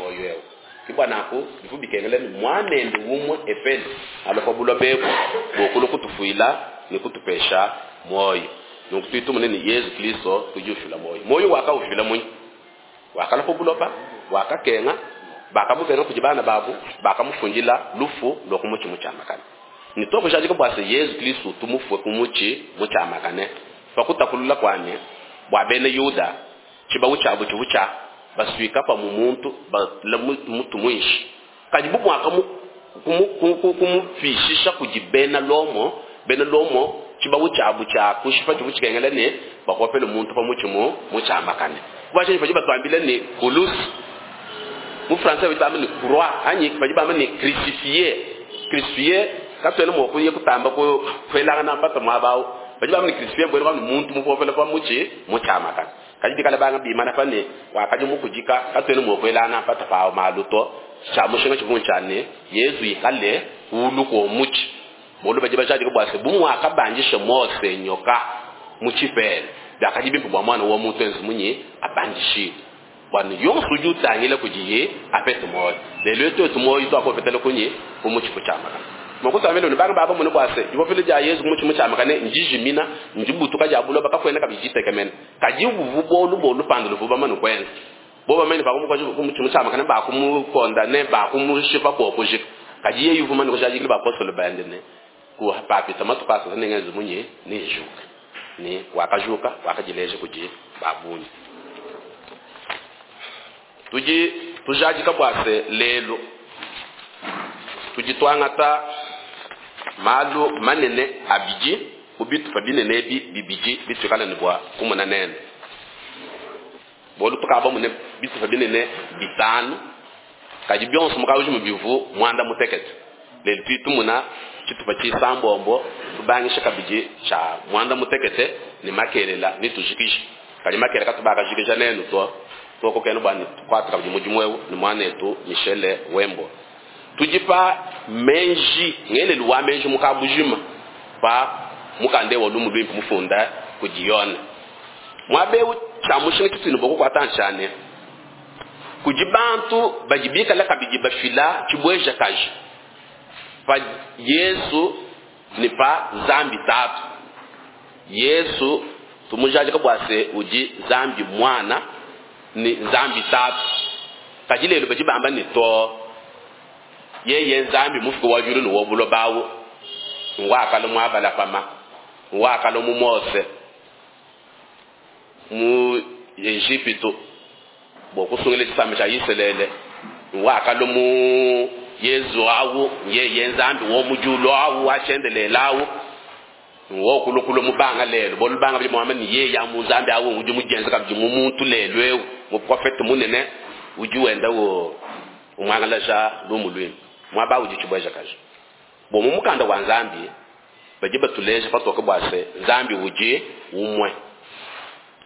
muoyo eu. Ke bua nanku bivua bikengela ne Muanende umue epele alue pa buloba ebu bua kulua kutufuila ne kutupesha muoyo. Nunku tudi tumona ne, Yezu Kristo udi ufila muoyo. Muoyo wakaufila munyi? Wakalua pa buloba, wakakenga, bakamubenga kudi bana babu, bakamufundila lufu lua ku mutshi mutshiamakane. Ne tuakujadika bua se, Yezu Kristo utu mufue ku mutshi mutshiamakane pa kutapulula kua ne, bua bena Yuda, tshibawu tshiabu tshivua tshia basuika pamue muntu bala mutu muinshi. Kadi bu muakumupishisha kudi bena Lomo, bena Lomo tshibawu tshiabu tshia kushipa tshivua tshikengela ne bapopele muntu pa mutshi mutshiamakane. Bua tshinyi badi batuambila ne kuluse? Mu français badi bamba ne croix anyi badi bamba ne crucifié. Crucifié katuena mua kuya kutamba kuelangana mpata muaba au. Badi bamba ne crucifié mbuena kuamba ne muntu mupopela pa mutshi mutshiamakane. Kadi bikala banga bimana pa ne wakadi mukudika, katuena mua kuelangana mpata pa malu to. Tshia mushinga tshivua ntshia ne Yezu ikale kulu kua mutshi. Bualu badi bajadika bua se, bu muakabandisha Mose nyoka mu tshipela, biakadi bimpe bua Muana wa muntu enze munyi? Abandishibue, bua ne yonso udi utangila kudiye apete muoyo. Lelu eu tuetu muoyo tuakupetela kunyi? Ku mutshi mutshiamakane. Mua kutuambila ne, banga bamone bua se, dipopela dia Yezu ku mutshi mutshiamakane ndijimina, ndibutuka dia buloba, kakuena kabidi ditekemena. Kadi buvua bualu bua lupandu luvua bamane kuenza. Bobo bamanye ne, bakumukoja ku mutshi mutshiamakane, bakumukondane, bakumushipa bua kujika. Kadi yeye uvua mumane kujadikila bapostolo bende ne, Papita matuku asatu nengenze munyi? Nenjuke. Ne wakajuka, wakadileja kudi ba bungi. Tudi tujadika bua se, lelu tudi tuangata malu manene abidi mu bitupa binene ebi bibidi bituikala ne bua kumona nende. Bualu tukavua bamone bitupa binene bitanu, kadi bionso mu kabujima bivu muanda mutekete. Lelu tudi tumona tshitupa tshisambombo, tubangisha kabidi tshia muanda mutekete ne makelela netujikije. Kadi makelela katubakajikija nenu to, tuokokenu bua ne tukuate kabidi mudimu eu ne muanetu Michel Wembo. Tudi pa meji, ngelelu wa meji mu kabujima pa mukanda eu wa Lumu Luimpe mufunda kudi Yone. Muaba eu tshia mushinga tshitudi ne bua kukuata ntshia ne, kudi bantu badi bikale kabidi bafila tshibuejakaji pa Yezu ne pa Nzambi Tatu. Yezu tumujadika bua se udi Nzambi Muana ne Nzambi Tatu. Kadi lelu badi bamba ne, too, yeye Nzambi mufuki wa diulu ne wa buloba au ngua kale mu Abalahama, ngua kale mu Mose, mu Ejipitu bua kusungila tshisamba tshia Isalele, ngua kale mu Yezu au yeye Nzambi wa mu diulu au wa tshiendelele au wokulukulu mubanga lelu. Bualu banga badi muamba ne yeye amu Nzambi au udi mudienze kabidi mu muntu lelu eu, muprofete munene udi wenda umuangalaja lumu luimpe muaba udi tshibuejakaji. Bua mu mukanda wa Nzambi badi batuleja patoke bua se Nzambi udi umue.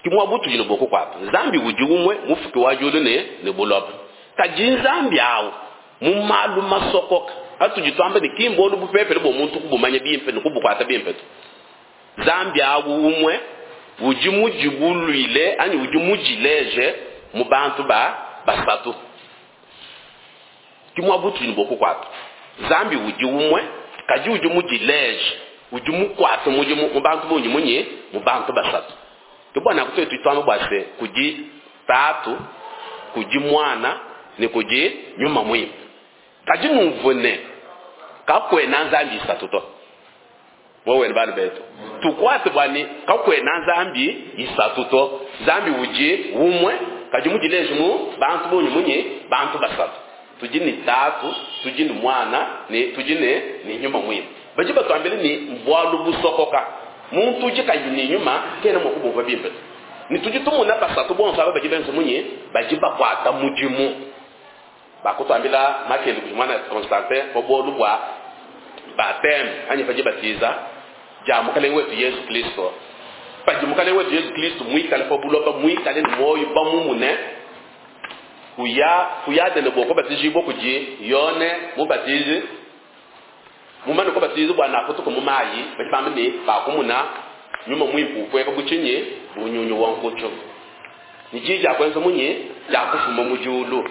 Ke muaba utudi ne bua kukuata. Nzambi udi umue, mufuki wa diulu ne buloba. Kadi Nzambi au mu malu masokoka atudi tuamba ne ki mbualu bupepele bua muntu kubumanya bimpe ne kubukuata bimpe to. Nzambi au umue udi mudibuluile anyi udi mudileje mu bantu ba basatu. Ke muaba utudi ne bua kukuata. Nzambi udi umue, kadi udi mudileje, udi mukuate mudimu mu bantu bungi munyi? Mu bantu basatu. Ke bua nanku tuetu tuamba bua se, kudi Tatu, kudi Muana ne kudi Nyuma Muimpe. Kadi numvue ne, kakuena Nzambi isatu to. Wewe ne bana betu tukuate bua ne, kakuena Nzambi isatu to. Nzambi udi umue, kadi mudileje mu bantu bungi munyi? Bantu basatu. Tudi ne Tatu, tudi ne Muana ne tudi ne Nyuma Muimpe. Badi batuambila ne bualu busokoka, muntu udi kayi ne nyuma kena mua kubumvua bimpe to. Ne tudi tumona basatu bonso aba badi benza munyi? Badi bakuata mudimu. Bakutuambila makele kudi muana Constantin pa bualu bua baptême anyi pa dibatiza dia Mukalenge wetu Yezu Kristo. Padi Mukalenge wetu Yezu Kristo muikale pa buloba, muikale ne muoyo bamumune, kuya ku Yadene bua kubatijibua kudi Yone Mubatiji, mumane kubatijibua nakutuka mu mayi, badi bamba ne bakumuna Nyuma Muimpe upueka bu tshinyi? Bu nyunyu wa nkutshi. Ne diyi dia kuenza munyi? Dia kufuma mu diulu.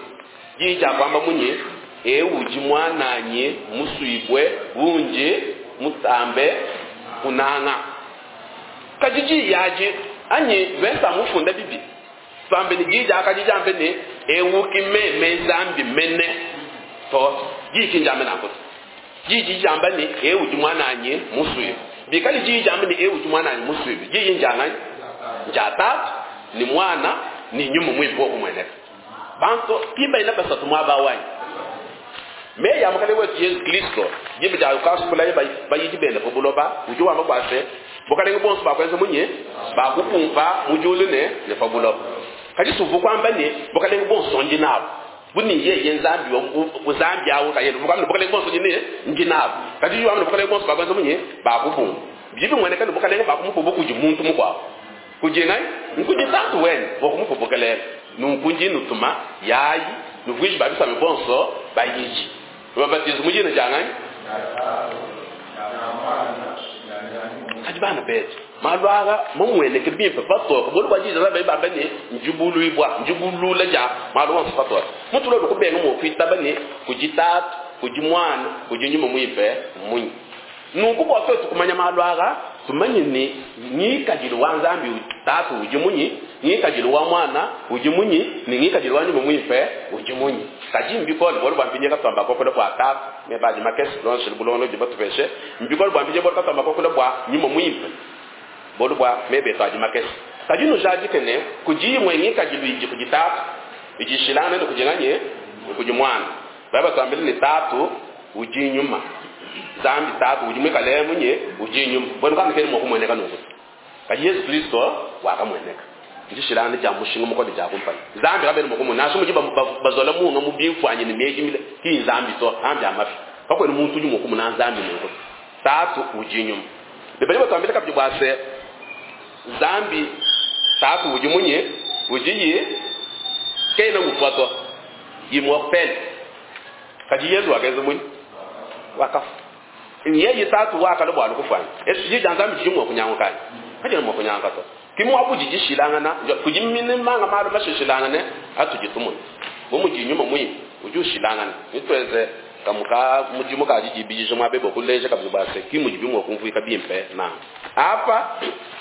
Diyi diakuamba munyi? Eu udi Muananyi musuibue, undi mutambe kunanga. Kadi diyi adi, anyi mvese mufunda bibi, tuambe ne diyi diakadi diambe ne, eu ki meme Nzambi mene to. Diyi ki ndiambe nanku to. Diyi didi diamba ne, eu udi Muananyi musuibue. Bikale diyi diambe ne, eu udi Muananyi musuibue, diyi ndia nganyi? Ndia Tatu ne Muana ne Nyuma Muimpe wakumueneka. Bantu ki baina basatu muaba wanyi. Meyi a Mukalenge wetu Yezu Kristo, diba dia ukasukulaye bayidi bende pa buloba, udi wamba bua se, bukalenge buonso bakuenza munyi? Bakupumpa mu diulu ne ne pa buloba. Kadi suvua kuamba ne, bukalenge buonso ndi nabu. Bu ne yeye Nzambi wa Nzambi awu nkayende, uvua kuamba ne, bukalenge buonso ndi ne ndi nabu. Kadi udi wamba ne, bukalenge buonso bakuenza munyi? Bakupumpa. Bidi bimueneka ne, bukalenge bakumupa kudi muntu mukuabu. Kudi nganyi? Nkudi Tatu wende bua kumupa bukalenge. Nunku ndi nutuma, yayi, nuvuije ba bisamba bonso bayidi, nubabatize mu dina dia nganyi? Kadi bana betu, malu aa mamueneke bimpe patoke, bualu bua diyi badi bamba ne, ndibuluibua, ndibulula dia malu onso patoke. Muntu lolu kubenga mua kuitaba ne, kudi Tatu, kudi Muana, kudi Nyuma Muimpe mmunyi? Nunku bua tuetu kumanya malu aa, tumanye ne, ngikadilu wa Nzambi Tatu udi munyi, ngikadilu wa Muana udi munyi, ne ngikadilu wa Nyuma Muimpe udi munyi. Kadi mbikole bualu bua mpindieu katuamba kuakula bua Tatu, meba adi makese bilondeshile bulongolodi batupeshe. Mbikole bua mpindieu bualu katuamba kuakula bua Nyuma Muimpe, bualu bua meba etu adi makese. Kadi nujadike ne, kudi imue ngikadilu idi kudi Tatu idi ishilangane ne kudi nganyi? Ne kudi Muana. Badi batuambila ne, Tatu udi nyuma. Nzambi Tatu udi muikale munyi? Udi nyuma. Buenu kanu kena mua kumueneka nunku. Kadi Yezu Kristo wakamueneka. Ndishilangana dia mushinga mukole dia kumpala. Nzambi kabena mua kumona nansha mudi bazola munga mu bimfuanyi ne meji mile, ki Nzambi to, Nzambi amafi. Kakuena muntu udi mua kumona Nzambi nunku. Tatu udi nyuma. Ne badi batuambila kabidi bua se, Nzambi Tatu udi munyi? Udi yi kena ufua to. Immortel. Kadi Yezu wakenza munyi? Wakafua. Yeye Tatu wakalua bua kufuana. Esi diyi dia Nzambi didi mua kunyanguka anyi? Kadiena mua kunyanguka to. Ki muabu udi dishilangana, kudi manga malu mashilangane atudi tumona. Bu mudi nyuma muimpe udi ushilangana. Nituenze kamuka mudimu ka didibidija muaba bua kuleja kabidi bua se ki mudi bimue kumvuika bimpe nanku. Apa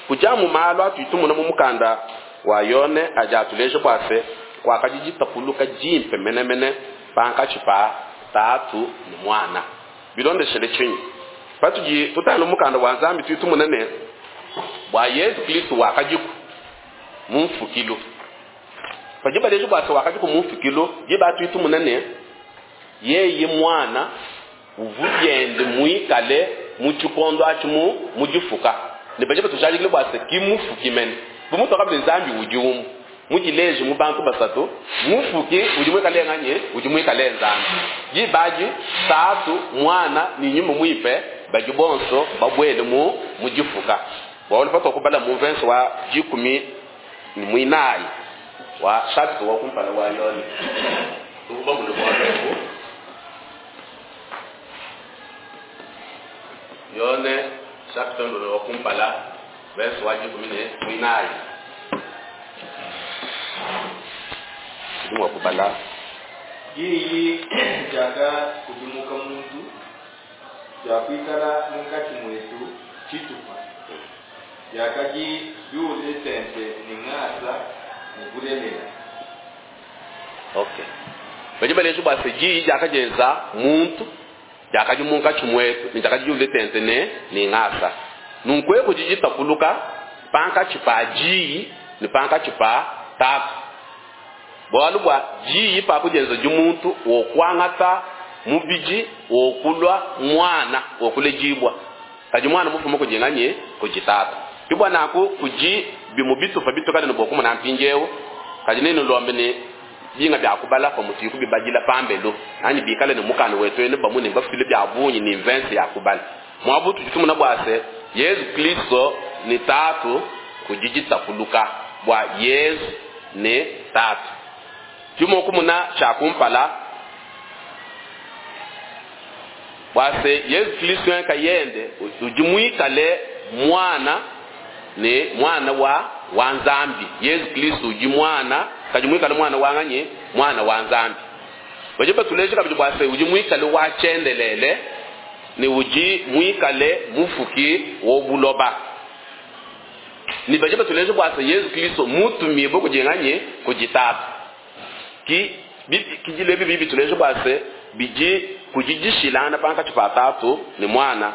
kudi amu malu atudi tumona mu mukanda wa Yone adi atuleja bua se kuakadi ditapuluka dimpe menemene pankatshi pa Tatu ne Muana. Bilondeshele tshinyi? Patudi tutangila mukanda wa Nzambi tudi tumona ne, bua Yezu Kristo wakadiku mu mfukilu. Padi baleja bua se wakadiku mu mfukilu, diba tudi tumona ne, yeye Muana uvua biende muikale mu tshikondo atshi mu mu difuka, ne badi batujadikile bua se ki mufuki mene. Bu mutuakamba ne Nzambi udi umue mudileje mu bantu basatu, mufuki udi muikale nganyi? Udi muikale Nzambi. Diba adi Tatu, Muana ne Nyuma Muimpe badi bonso babuele mu mu difuka. Bualu patuakubala mu mvese wa 14 wa chapitre wa kumpala wa Yone, tuvua bamone bualu ebu. Yone chapitre wa kumpala verse wa 14, tudi mua kubala. Diyi diakakudimuka muntu, diakuikala munkatshi muetu tshitupa, diakadi biule tente ne ngasa ne bulelela. Okay. Badi baleja bua se diyi diakadienza muntu, diakadi munkatshi muetu ne diakadi diule tente ne ne ngasa. Nunku eku didi ditapuluka pankatshi pa diyi ne pankatshi pa Tatu. Bualu bua diyi pa kudienza di muntu wokuangata mubidi wokulua muana wokuledibua. Kadi muana mufume kudi nganyi? Kudi Tatu. Bibua nanku kudi bimue bitupa bitukale ne bua kumona mpindieu, kadi nenulombe ne binga bia kubala pamutu kubibadila pambelu anyi bikale ne mukanda wetu ene bamue ne bafile bia bungi ne mvese ya kubala. Muabu tudi tumona bua se Yezu Kristo ne Tatu kudi ditapuluka bua Yezu ne Tatu. Tudi kumona tshia kumpala bua se Yezu Kristo nkayende udi muikale muana ne muana wa wa Nzambi. Yezu Kristo udi muana, kadi muikale muana wa nganyi? Muana wa Nzambi. Badi batuleja kabidi bua se udi muikale wa tshiendelele ne udi muikale mufuki wa buloba. Ne badi batuleja bua se Yezu Kristo mutumibue kudi nganyi? Kudi Tatu. Ki bikidilu ebi bidi bituleja bua se bidi kudi dishilangana pankatshi pa Tatu ne Muana,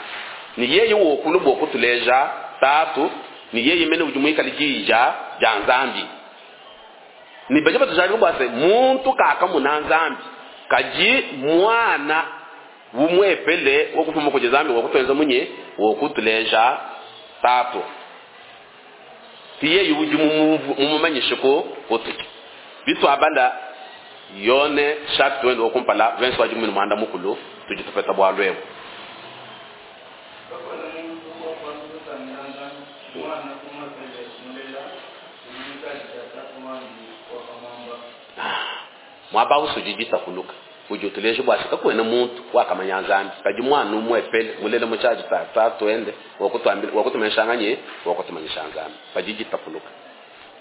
ne yeye wokulu bua kutuleja Tatu, ne yeye mene udi muikale Diyi dia dia Nzambi. Ne badi batujadika bua se muntu kakamuna Nzambi, kadi Muana umuepele wakufuma kudi Nzambi wakutuenza munyi? Wakutuleja Tatu. Ki yeye udi mumumanyishe ku kutudi. Bituabala Yone chapitre wende wa kumpala verse wa 13, tudi tupeta bualu ebu. Kakuena muntu wakuanza kutangila Nzambi, Muana umuepele mulela udi mu tshiadi tshia Tatu wandi wakamuamba. Muaba usudi ditapuluka udi utuleja bua se kakuena muntu wakamanya Nzambi, kadi Muana umuepele mulela mu tshiadi tshia Tatu wende wakutuambila, wakutumanyisha nganyi? Wakutumanyisha Nzambi. Padi ditapuluka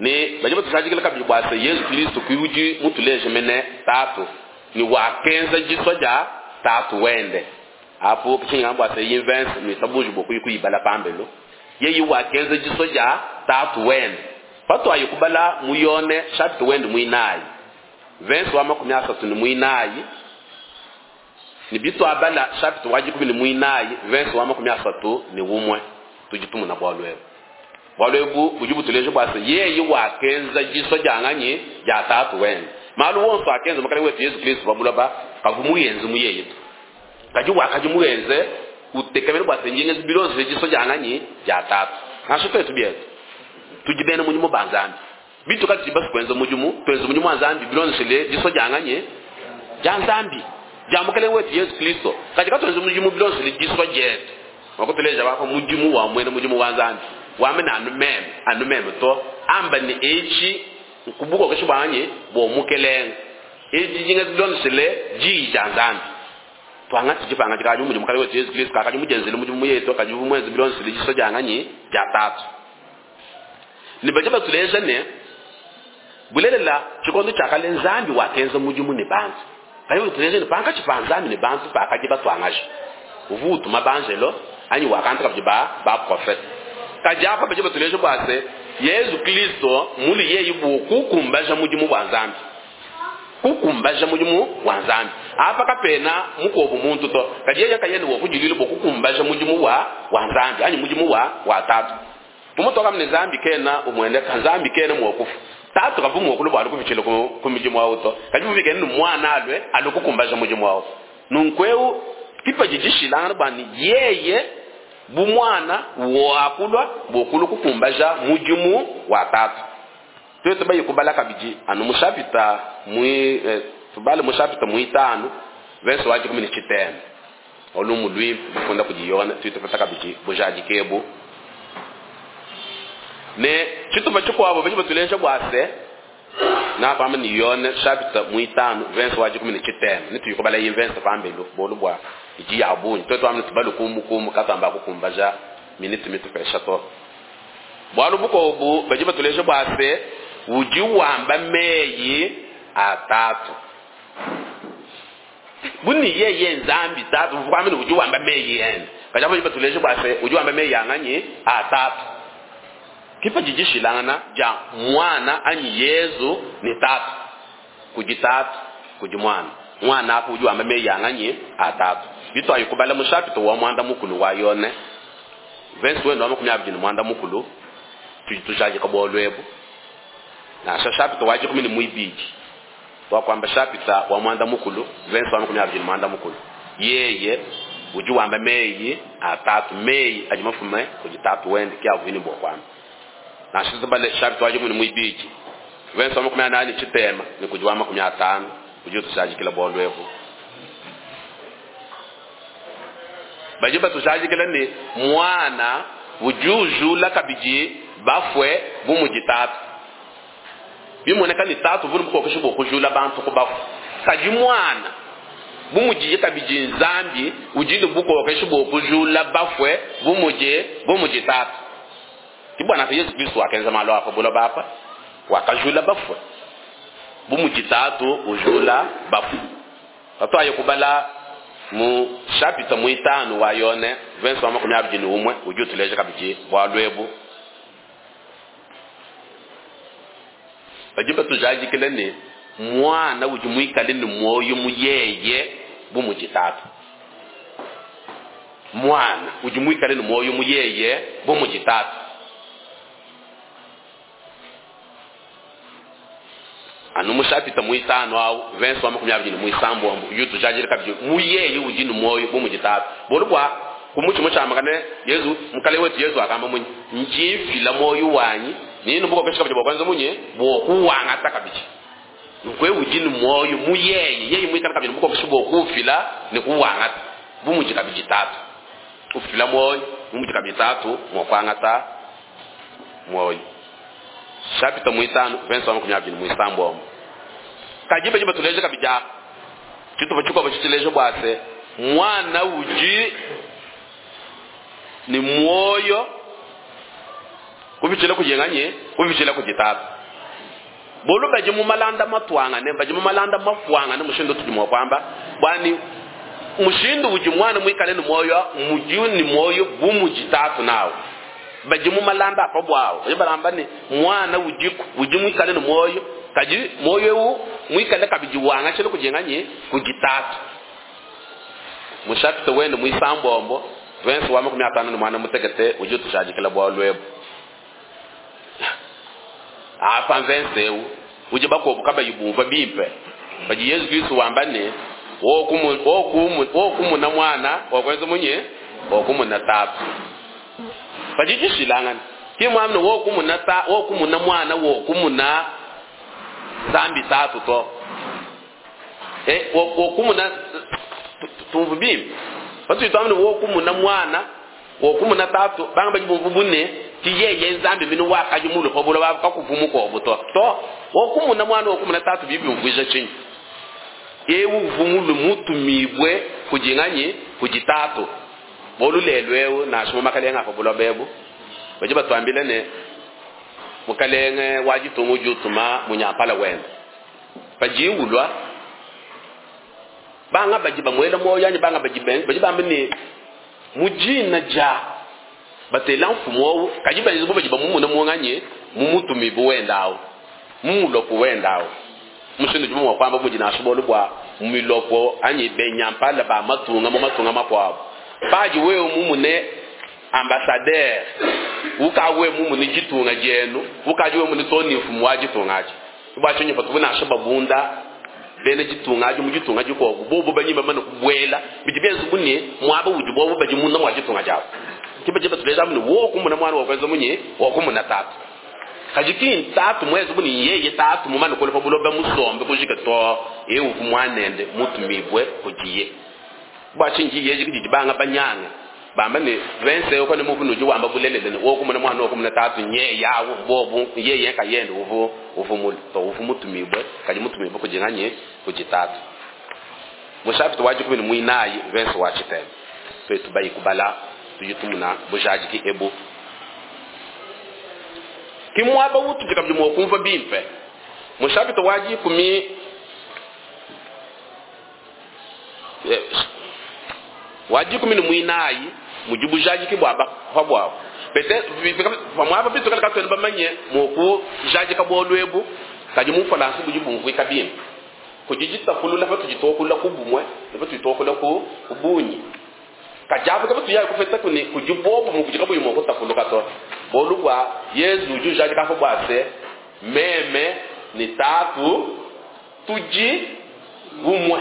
ne badi batujadikila kabidi bua se Yezu Kristo ki udi mutuleje mene Tatu ne wakenza disua dia Tatu wende. Apu kishinga bua se invense nuitabuji bua kuyi kuyibala pambelu, yeye wakenza disua dia Tatu wende. Patuayi kubala mu Yone chapitre wende muinayi verse wa 34, ne bituabala chapitre wa 14 verse wa 31, tudi tumuna bualu ebu. Bualu ebu budi butuleja bua se yeye wakenza disua dia nganyi? Dia Tatu wende. Malu wonso akenza Mukalenge wetu Yezu Kristo pa buloba kavu muyenze mu yeye to, kadi wakadi muyenze utekemena bua se njinga bilonzo disua dia nganyi? Dia Tatu. Nansha tuetu bietu tudi bena mudimu ba Nzambi, bitu kati basi kuenza mudimu, tuenze mudimu wa Nzambi bilonzo disua dia nganyi? Dia Nzambi, dia Mukalenge wetu Yezu Kristo. Kadi katuenze mudimu bilonzo disua dietu. Wakutuleja bapa mudimu wa mwena mudimu wa Nzambi wamene anu meme, anu meme to amba ne echi nkubuko kesho bwanyi bo mukelenge echi jinga zilondeshele diyi dia Nzambi. Twangati dipanga dikadi mudimu Mukalenge wetu Yezu Kristo kakadi mujenzele mudimu yetu, kadi mwenze bilondeshele disua dia nganyi? Dia Tatu. Ne badi batuleja ne bulelela tshikondo tshia kale Nzambi wakenza mudimu ne bantu, kadi batuleja ne pankatshi pa Nzambi ne bantu pakadi batuangaja uvu utuma banjelo anyi wakanta kabidi ba ba prophète. Kadi apa badi batuleja bua se Yezu Kristo muli yeye bu kukumbaja mudimu wa Nzambi, kukumbaja mudimu wa Nzambi. Apa kapena mukobu muntu to, kadi yeye kayene wa kujilila bu kukumbaja mudimu wa wa Nzambi anyi mudimu wa wa Tatu. Mumutu kamne Nzambi kena umwende ka Nzambi kena mwokufu Tatu kavu mwokulu bwa kubichila ku mudimu wa to, kadi muvike ni mwana alwe alukukumbaja mudimu wa. Nunkweu kipa jijishilanga bani yeye bu mwana wakulwa bokulu kukumbaja mudimu wa Tatu. Twetu bayi kubala kabidi anu mushapita mui tubale mushapita muitano verse wa 19 olumu lwi lufunda kudi Yone twetu pata kabidi bujadikebu. Ne chitupa chikuabo badi batuleja bua se na pama ni Yone chapitre muitano verse wa 19 ne tuyikubala yi verse pambelu bolu bua idi ya bungi. Twetu amne tubalu kumu kumu katamba kukumbaja minute mitu pesha to. Bualu bukobu badi batuleja bua se udi wamba meyi atatu. Buni yeye Nzambi Tatu vukwamene udi wamba meyi ende. Kadi badi batuleja bua se udi wamba meyi anganyi atatu. Kipa jijishilangana ja mwana anyi Yezu ni Tatu. Kudi Tatu, kudi mwana. Mwana apo udi wamba meyi anganyi atatu. Bitu ayikubala mu chapitre wa mwanda mukulu wa Yone. Verse wendo wa 21 mukulu. Tudi tujadika bualu ebu. Nansha chapitre wa 12. Wakwamba chapitre wa mwanda mukulu, verse wa 21 mukulu. Yeye udi wamba meyi atatu, meyi adi mafume kudi Tatu wende ki avini bua kwamba. Nansha tubale chapitre wa 12. Verse wa 18 chitema ni kudi wa 50 udi utushajikila bualu ebu. Badi batushajikila ne mwana udi ujula kabidi bafwe bu mudi Tatu. Bimoneka ni Tatu vunu bukokesha bua kujula bantu ku bafu. Kadi mwana bu mudi kabidi Nzambi udi ne bukokesha bua kujula bafwe bu mudi, bu mudi Tatu. Ki bwana Yesu Kristo wakenza malu apa buloba apa, wakajula bafwe bu mudi Tatu ujula bafu. Patwaye kubala mu chapitre muitanu wa Yone verse wa 21 udi utuleja kabidi bualu ebu. Badi batujadikila ne mwana udi muikale ne muoyo mu yeye bu mudi tatu. Mwana udi muikale ne muoyo mu yeye bu mudi tatu. Anu mu chapitre muitanu awu verse wa 26 udi utujadikila kabidi mu yeye udi ne muoyo bu mudi tatu. Bualu bua ku mutshima tshiamakane Yezu mukalenge wetu Yezu akamba munyi ndi mfila muoyo wanyi nini bukokesha kabidi bua kwanza munyi bua kuwangata kabidi. Nkwe udi ne muoyo mu yeye yeye muikale kabidi bukokesha bua kuufila ne kuwangata bu mudi kabidi tatu ufila muoyo bu mudi kabidi tatu mua kuangata muoyo. Chapitre muitanu verse wa 26. Kadi badi batuleja kabidi apa tshitupa tshikuabo tshituleja bua se mwana udi ne muoyo kupitshila kudi kupitshila kudi tatu. Bolu badi mu malanda matuangane badi mu malanda mafuangane mushindu tudi mua kuamba bwani mushindu udi mwana muikale ne muoyo mudi ne muoyo bu mudi tatu nawo. Badi mu malanda apa bwawo badi balamba ne mwana udi udi muikale ne muoyo kadi muoyo ewu muikale kabidi wangashile kudi kudi tatu. Mu chapitre wende muisambombo verse wa 58 udi utushadikila bualu ebu. Apa verse ewu udi bakobu kabayi bumva bimpe badi Yesu Kristo wamba ne wokumuna mwana wakwenza munye wokumuna tatu. Badi dishilangana ki mwamne wokumuna ta wokumuna mwana wokumuna zambi tatu to wokumuna tumvu bimpe patu twamne wokumuna mwana wokumuna tatu banga badi bumvu bune ti yeye nzambi binu wakaji mulu pa bulo bakakuvumuka obuto to wokumuna mwana wokumuna tatu bibi mvwija chinyi ewu vumulu mutumibwe kujinganye kujitatu bolu lelwewu na makalenga pa bulo bebu baje batwambile ne mukalenge wajitungu jutuma munyampala wenda pajiwulwa banga baji bamwela moyo yani banga baji ben baji bambe ne mujina ja batela mfumo kaji baji baji bamumuna mwanganye mumutumibu wendawo mumulopo wendawo mushindu jumwa kwamba mujina ashobolu bwa mumilopo anyi benyampala ba matunga mu matunga makwabo paji wewe mumune ambassadeur ukawe mumune jitunga jenu ukaji wewe mune toni mfumo wa jitunga aje bwachenye patubuna ashababunda bene jitunga aje mu jitunga jiko bobo banyimba mana kubwela bidibenzu bune mwaba udi bobo baji muna mwa jitunga jawo kibaje batuleza mune wo kumuna mwana wa kwanza munye wo kumuna tatu kajiki tatu mwezi buni yeye tatu mumana kolepa buloba musombe kujika to ewu kumwanende mutumibwe kujiye bwachinji yeje kididi banga banyanga bamba ne vense uko ne muvu nuji wamba bulelele wo kumuna mwana wo kumuna tatu nye yawo bobu yeye kayende uvu uvu multo uvu mutumibwe kaji mutumibwe kujinganye kujitatu mushafito waji kumini muinayi vense wachiteme twetu bayi kubala tujitumuna bujajiki ebu kimwaba utu jikabji mwokumva bimpe mushafito waji kumi waji kumi muinayi mujibu jaji kibwaba pabwabo pete pamwaba bitu kala katwele bamanye moku jaji kabolwebu kaji mufalansi bujibu mvwika bimpe kujijita kulula patu jitokula kubumwe patu jitokula ku kubunyi kajabu kabatu yayi kufeta kuni kujibobu mukujika buyi moko tafuluka to bolubwa Yesu uju jaji kafa bwase meme ni tatu tuji bumwe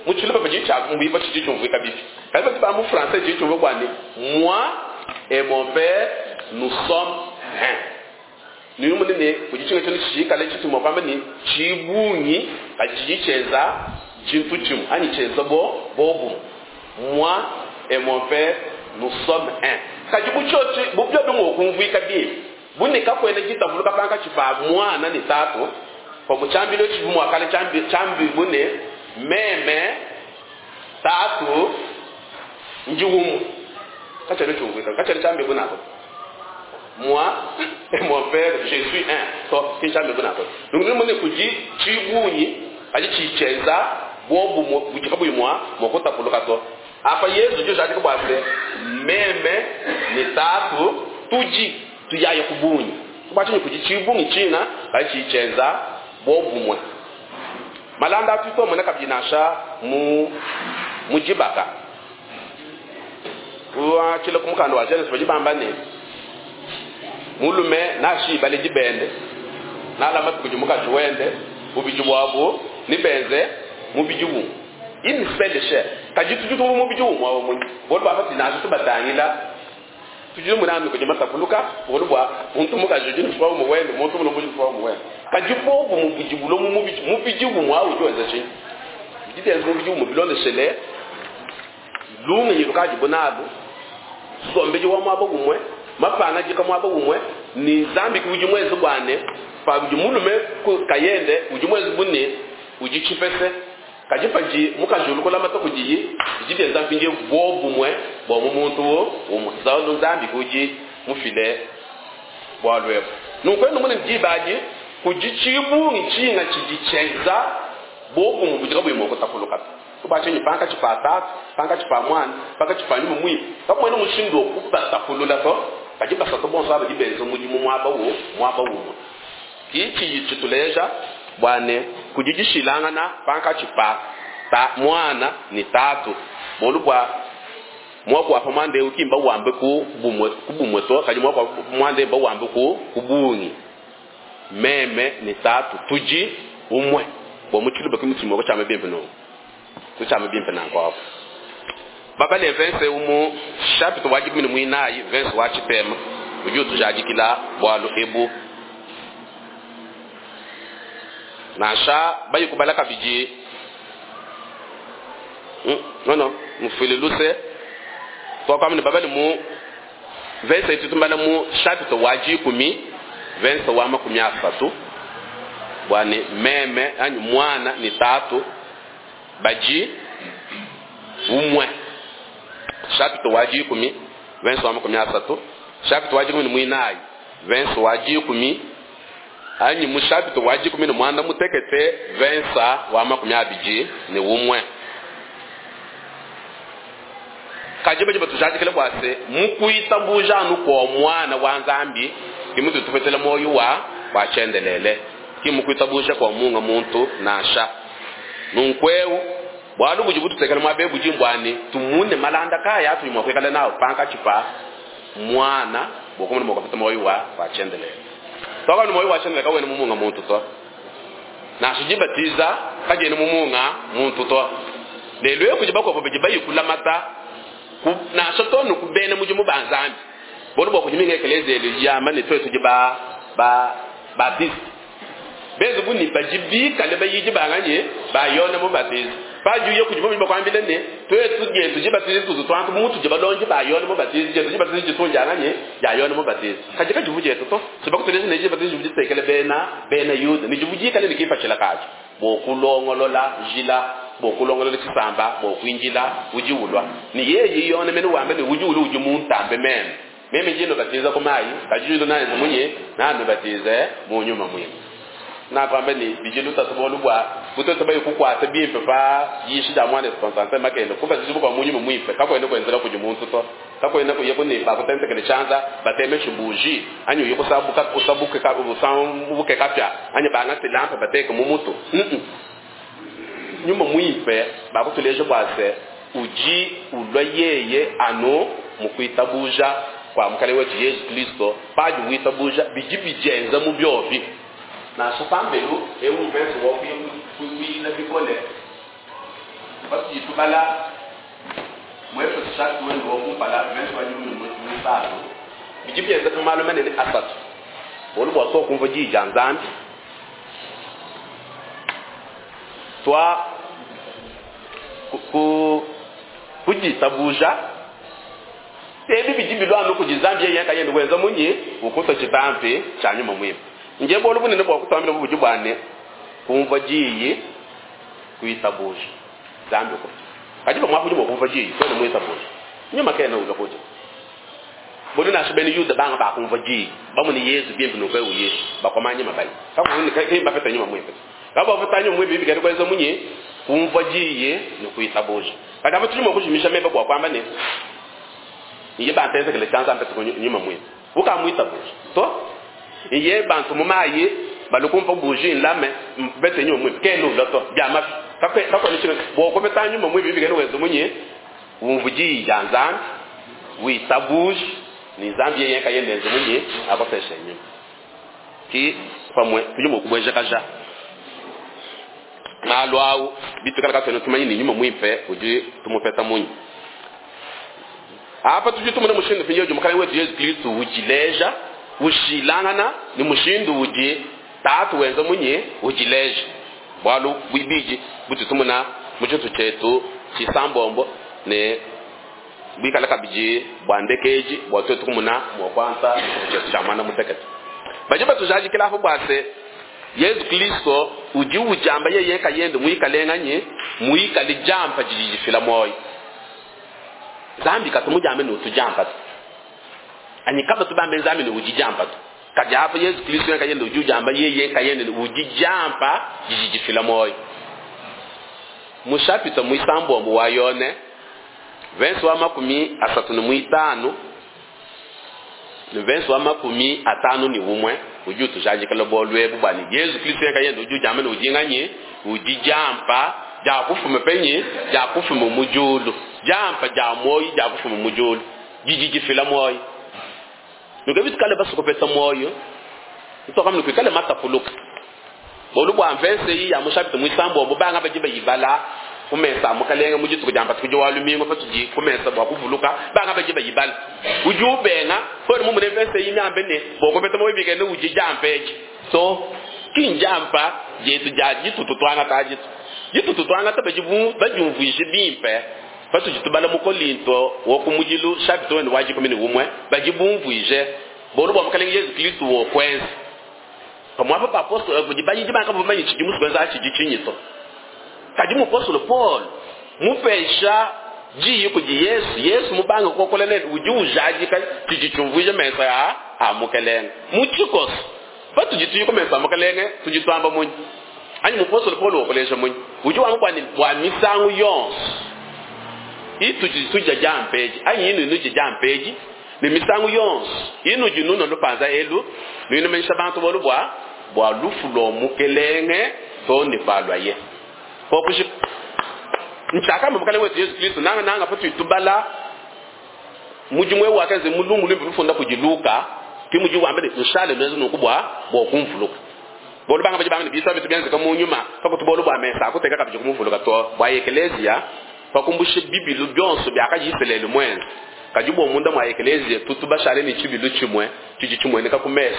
muchiluba bajicha mbiba chichi chumvika bipi kaiba tiba mu français chichi chumvika kwani moi et mon père nous sommes un ni munene kujichinga chino chikale chituma kwamba ni chibunyi kajicheza chintu chimu ani cheza bo bobu moi et mon père nous sommes un kajibu chochi bubyo bingo kumvika bi buneka kwene jitavuluka panka chipa mwana ni tatu kwa muchambilo chivumu akale chambi chambi bune meme tatu njugumu kachale chumvika kachale chambi bunako moi et mon père je suis un to ki chambi bunako donc nous mone kuji chibunyi aji chicheza buobumue budi kabuyi mua mua kutapuluka to. Apa Yezu udi ujadika bua se, meme ne Tatu tudi tuyaya ku bungi. Bua tshinyi kudi tshibungi tshina kadi tshiyi tshienza buobumue? Malanda atu tuamona kabidi nansha mu mu dibaka. Kuatshila ku mukanda wa Genese badi bamba ne, mulume nashiyi baledi bende, nalamate kudi mukaji wende, bubidi buabu nebenze mubidi umue. Une seule chair. Kadi tudi tumvua mubidi umue awu munyi? Bualu bua patudi nansha tubatangila, tudi tumona anu kudi matapuluka, bualu bua muntu mukaji udi ne mfumu umue wende, muntu mulume udi ne mfumu umue wende. Kadi buobumue budi bulua mu mubidi, mubidi umue awu udi wenza tshinyi? Bidi bienza mubidi umue bilondeshele lungenyi lukadibu nalu, nsombedi wa muaba umue, mapangadika muaba umue, ne Nzambi ke udi muenze bua ne, padi mulume kayende udi muenze bu ne, udi tshipese, kadi padi mukaji ulu kulamata kudiyi, bidi bienza mpindieu buobumue bua mu muntu umue. Nzambi ke udi mufile bualu ebu. Nunku enu mune diba adi kudi tshibungi tshinga tshidi tshienza buobumue budi kabuyi mua kutapuluka to. Bua tshinyi? Pankatshi pa Tatu, pankatshi pa Muana, pankatshi pa Nyuma Muimpe, kakuena mushindu wa kubatapulula to. Kadi basatu bonso aba badi benza mudimu muaba muaba umue. Ke tshidi tshituleja bua ne, kudi dishilangana pankatshi pa ta Muana ne Tatu, bualu bua muaku wa pa muanda eu ki mbawambe ku bumue ku bumue to, kadi muaku wa pa muanda eu mbawambe ku ku bungi. Meme ne Tatu tudi umue. Bua mu tshiluba ke mutudi mua kutshiamba bimpe nunku. Kutshiamba bimpe nanku apu. Babale mvese eu mu shapita wa dikumi ne muinayi mvese wa tshitema udi utujadikila bualu ebu. Nansha bayi kubala kabidi non non mufuile luse tuakuamba ne babale mu mvese itu tumbala mu shapita wa dikumi mvese wa 30 bua ne meme anyi muana ne tatu badi umue. Shapita wa dikumi mvese wa 30, shapita wa 14 mvese wa 10 anyi mu shapita wa 16 mvese wa 21. Kadi badi batujadikila bua se, mu kuitabuja anu kua Muana wa Nzambi ke mutudi tupetela muoyo wa wa tshiendelele, ki mu kuitabuja kua munga muntu nansha. Nunku'eu, bualu budi bututekela muaba eu budi mbua ne, tumune malanda kayi atudi mua kuikala nawu pankatshi pa Muana bua kumona mua kupeta muoyo wa wa tshiendelele. Tuakamba ne, muoyo wa tshiendelele kawena mu munga muntu to. Nansha dibatiza kadiena mu munga muntu to. Lelu eu kudi bakuabu badi bayi kulamata ku, nansha to ne ku bena mudimu ba Nzambi. Bualu bua kudi minga ekeleziya idi yamba ne tuetu tudi ba ba baptiste. Benze bu ne badi bikale bayidi ba nganyi? Ba Yone Mubatizi. Padi uya kudibo badi bakuambila ne, tuetu dietu dibatiza ditutu tuantu bu mutudi balondi ba Yone Mubatizi, dietu dibatiza ditu ndia nganyi? Dia Yone Mubatizi. Kadi kadivu dietu to. Sibakutuleja ne dibatiza divu ditekela bena bena Yuda ne divu dikale ne kipatshila kadio bua kulongolola njila, bua kulongolola tshisamba bua kuindila udi ulua. Ne yeye Yone mene wamba ne, udi ulua udi muntambe meme. Meme ndi nubatiza ku mayi, kadi udi nanenze munyi? Nanubatize mu Nyuma Muimpe. Nakuamba ne, bidi lutatu bualu bua butuetu bayi kukuata bimpe pa diyisha dia muanetu Constantin Makende, kubatijibua kua mu Nyuma Muimpe kakuena kuenzela kudi muntu to. Kakuena kuya ku ne bakutentekele tshianza, batemeshe buji, anyi uye kusabuka, usabuke, usambuke kapia, anyi bangate lampe bateke mu mutu. Mm-mm. Nyuma Muimpe bakutuleja bua se udi ulua yeye anu mu kuitabuja kua Mukalenge wetu Yezu Kristo. Padi witabuja, bidi bidienza mu biobi. Nansha pambelu, eu mvese wa kuya kuyila bikole patudi tubala mu Efeso chapitre wende wa kumpala mvese wa 13, bidi bienzeka malu manene asatu. Bualu bua tuakumvua diyi dia Nzambi, tua ku ku ditabuja ebi bidi bilua anu kudi Nzambi yeye nkayende wenza munyi? Ukuta tshitampi tshia Nyuma Muimpe. Nje bualu bunene bua kutuambila budi bua ne kumvua diyi kuitabuja Nzambi ukuta. Kadi pamuapa udi mua kumvua diyi kuena muitabuja. Nyuma kena ulua kudi. Bualu nansha bena Yuda banga bakumvua diyi bamone Yezu bimpe nunku eu Yesu bakomanya mabali. Kakuyi bapeta Nyuma Muimpe. Kabapeta Nyuma Muimpe bikale kuenza munyi? Kumvua diyi ne kuitabuja. Kadi apa tudi mua kujimisha meba bua kuamba ne, iye bantu enzekele tshianza mpete ku nyuma muimpe. Ukamuitabuja to. Iye bantu mu mayi balukumpa buji nlame mpete nyuma muimpe. Kenu ulua to. Bia mafi. Kakwe kakwe chino bua kupeta nyuma muimpe bikene wenza munyi umvu diyi dia Nzambi witabuja ni Nzambi yeye kayende enze munyi akopesha nyuma. Ki pamwe tudi mua kubuejakaja malu au bitukala katuena tumanye ni nyuma muimpe udi tumupeta munyi. Apa tudi tumona mushindu mpindieu udi Mukalenge wetu Yezu Kristo udileja ushilangana ni mushindu udi Tatu wenza munyi udileja. Bualu buibidi butu tumona mu tshitu tshietu tshisambombo ne buikala kabidi bua ndekeji bua tuetu kumona mua kuanza tshietu tshia muanda mutekete. Badi batujadikila apo bua se Yezu Kristo udi ujamba yeye kayende muikale nganyi muikale jampa didi difila muoyo. Nzambi katu mujambe ne utujampa to. Anyi kaba tubambe Nzambi ne udi jampa to. Kadi apa Yezu Kristo yeye kayende udi ujamba yeye kayende ne udi jampa didi difila muoyo. Mu chapitre muisambombo wa Yone verse wa 35 ne verse wa 51 udi utujadikila bualu ebu bua ne Yezu Kristo yeye kayende udi ujamba ne udi nganyi udi jampa dia kufuma penyi dia kufuma mu diulu. Jampa dia muoyo dia kufuma mu diulu didi difila muoyo. Nuke bitukale basukopeta muoyo ntoka mnu kuikale matapuluka. Bolu bua mvese iyi ya mu chapitre muisambombo banga badi bayibala kumesa mukalenge mu dituku dia mpatuku wa lumingu patudi kumesa bua kuvuluka banga badi bayibala. Udi ubenga pole mu mune mvese iyi miambe ne bokopeta muoyo bikene udi jampa eci. So kinjampa jetu dia ditutu twangata jitu. Ditutu twangata badi badiumvuije bimpe patudi tubala mu Kolinto wo ku mudilu chapitre wende wa 11 badi bumvuije bolu bua mukalenge Yezu Kristo wo kwenza. Pamuapa pa apostolo badi bayidi banga bamanye tshidi musu kwenza tshidi tshinyi to. Kadi mupostolo Paul mupesha diyi kudi Yesu, Yesu mubanga kokola nende udi ujadika tshidi tshiumvuija mesa ya a mukelenge. Mu tshikoso patudi tuyi kumesa mukelenge tudi tuamba munyi. Anyi mupostolo Paul wokolesha munyi. Udi wamba bua ne bua misangu yonso itudi tudia jampeji anyi inu nudi jampeji ne misangu yonso inu dinuna lupanza elu nuinumenyesha bantu bolu bua bua lufu lua mukelenge to ne palwaye. Kokushi nchaka mukelenge wetu Yesu Kristo nanga nanga patu tubala mudimu ewu wakenze mulungu limbi lufunda kudi Luka ki mudi wambe ne nshale nwezo nuku bua bua kumvuluka. Bolu banga badi banga ne bisa bitu bianze mu nyuma pakutubolu bua mesa akuteka kabidi kumvuluka to bua ekelesia pakumbushe bibilu byonso byakajiselele mwenze. Kadi bua munda mwa ekelesia tutu bashale ne tshibilu tshimwe tshidi tshimueneka ku mesa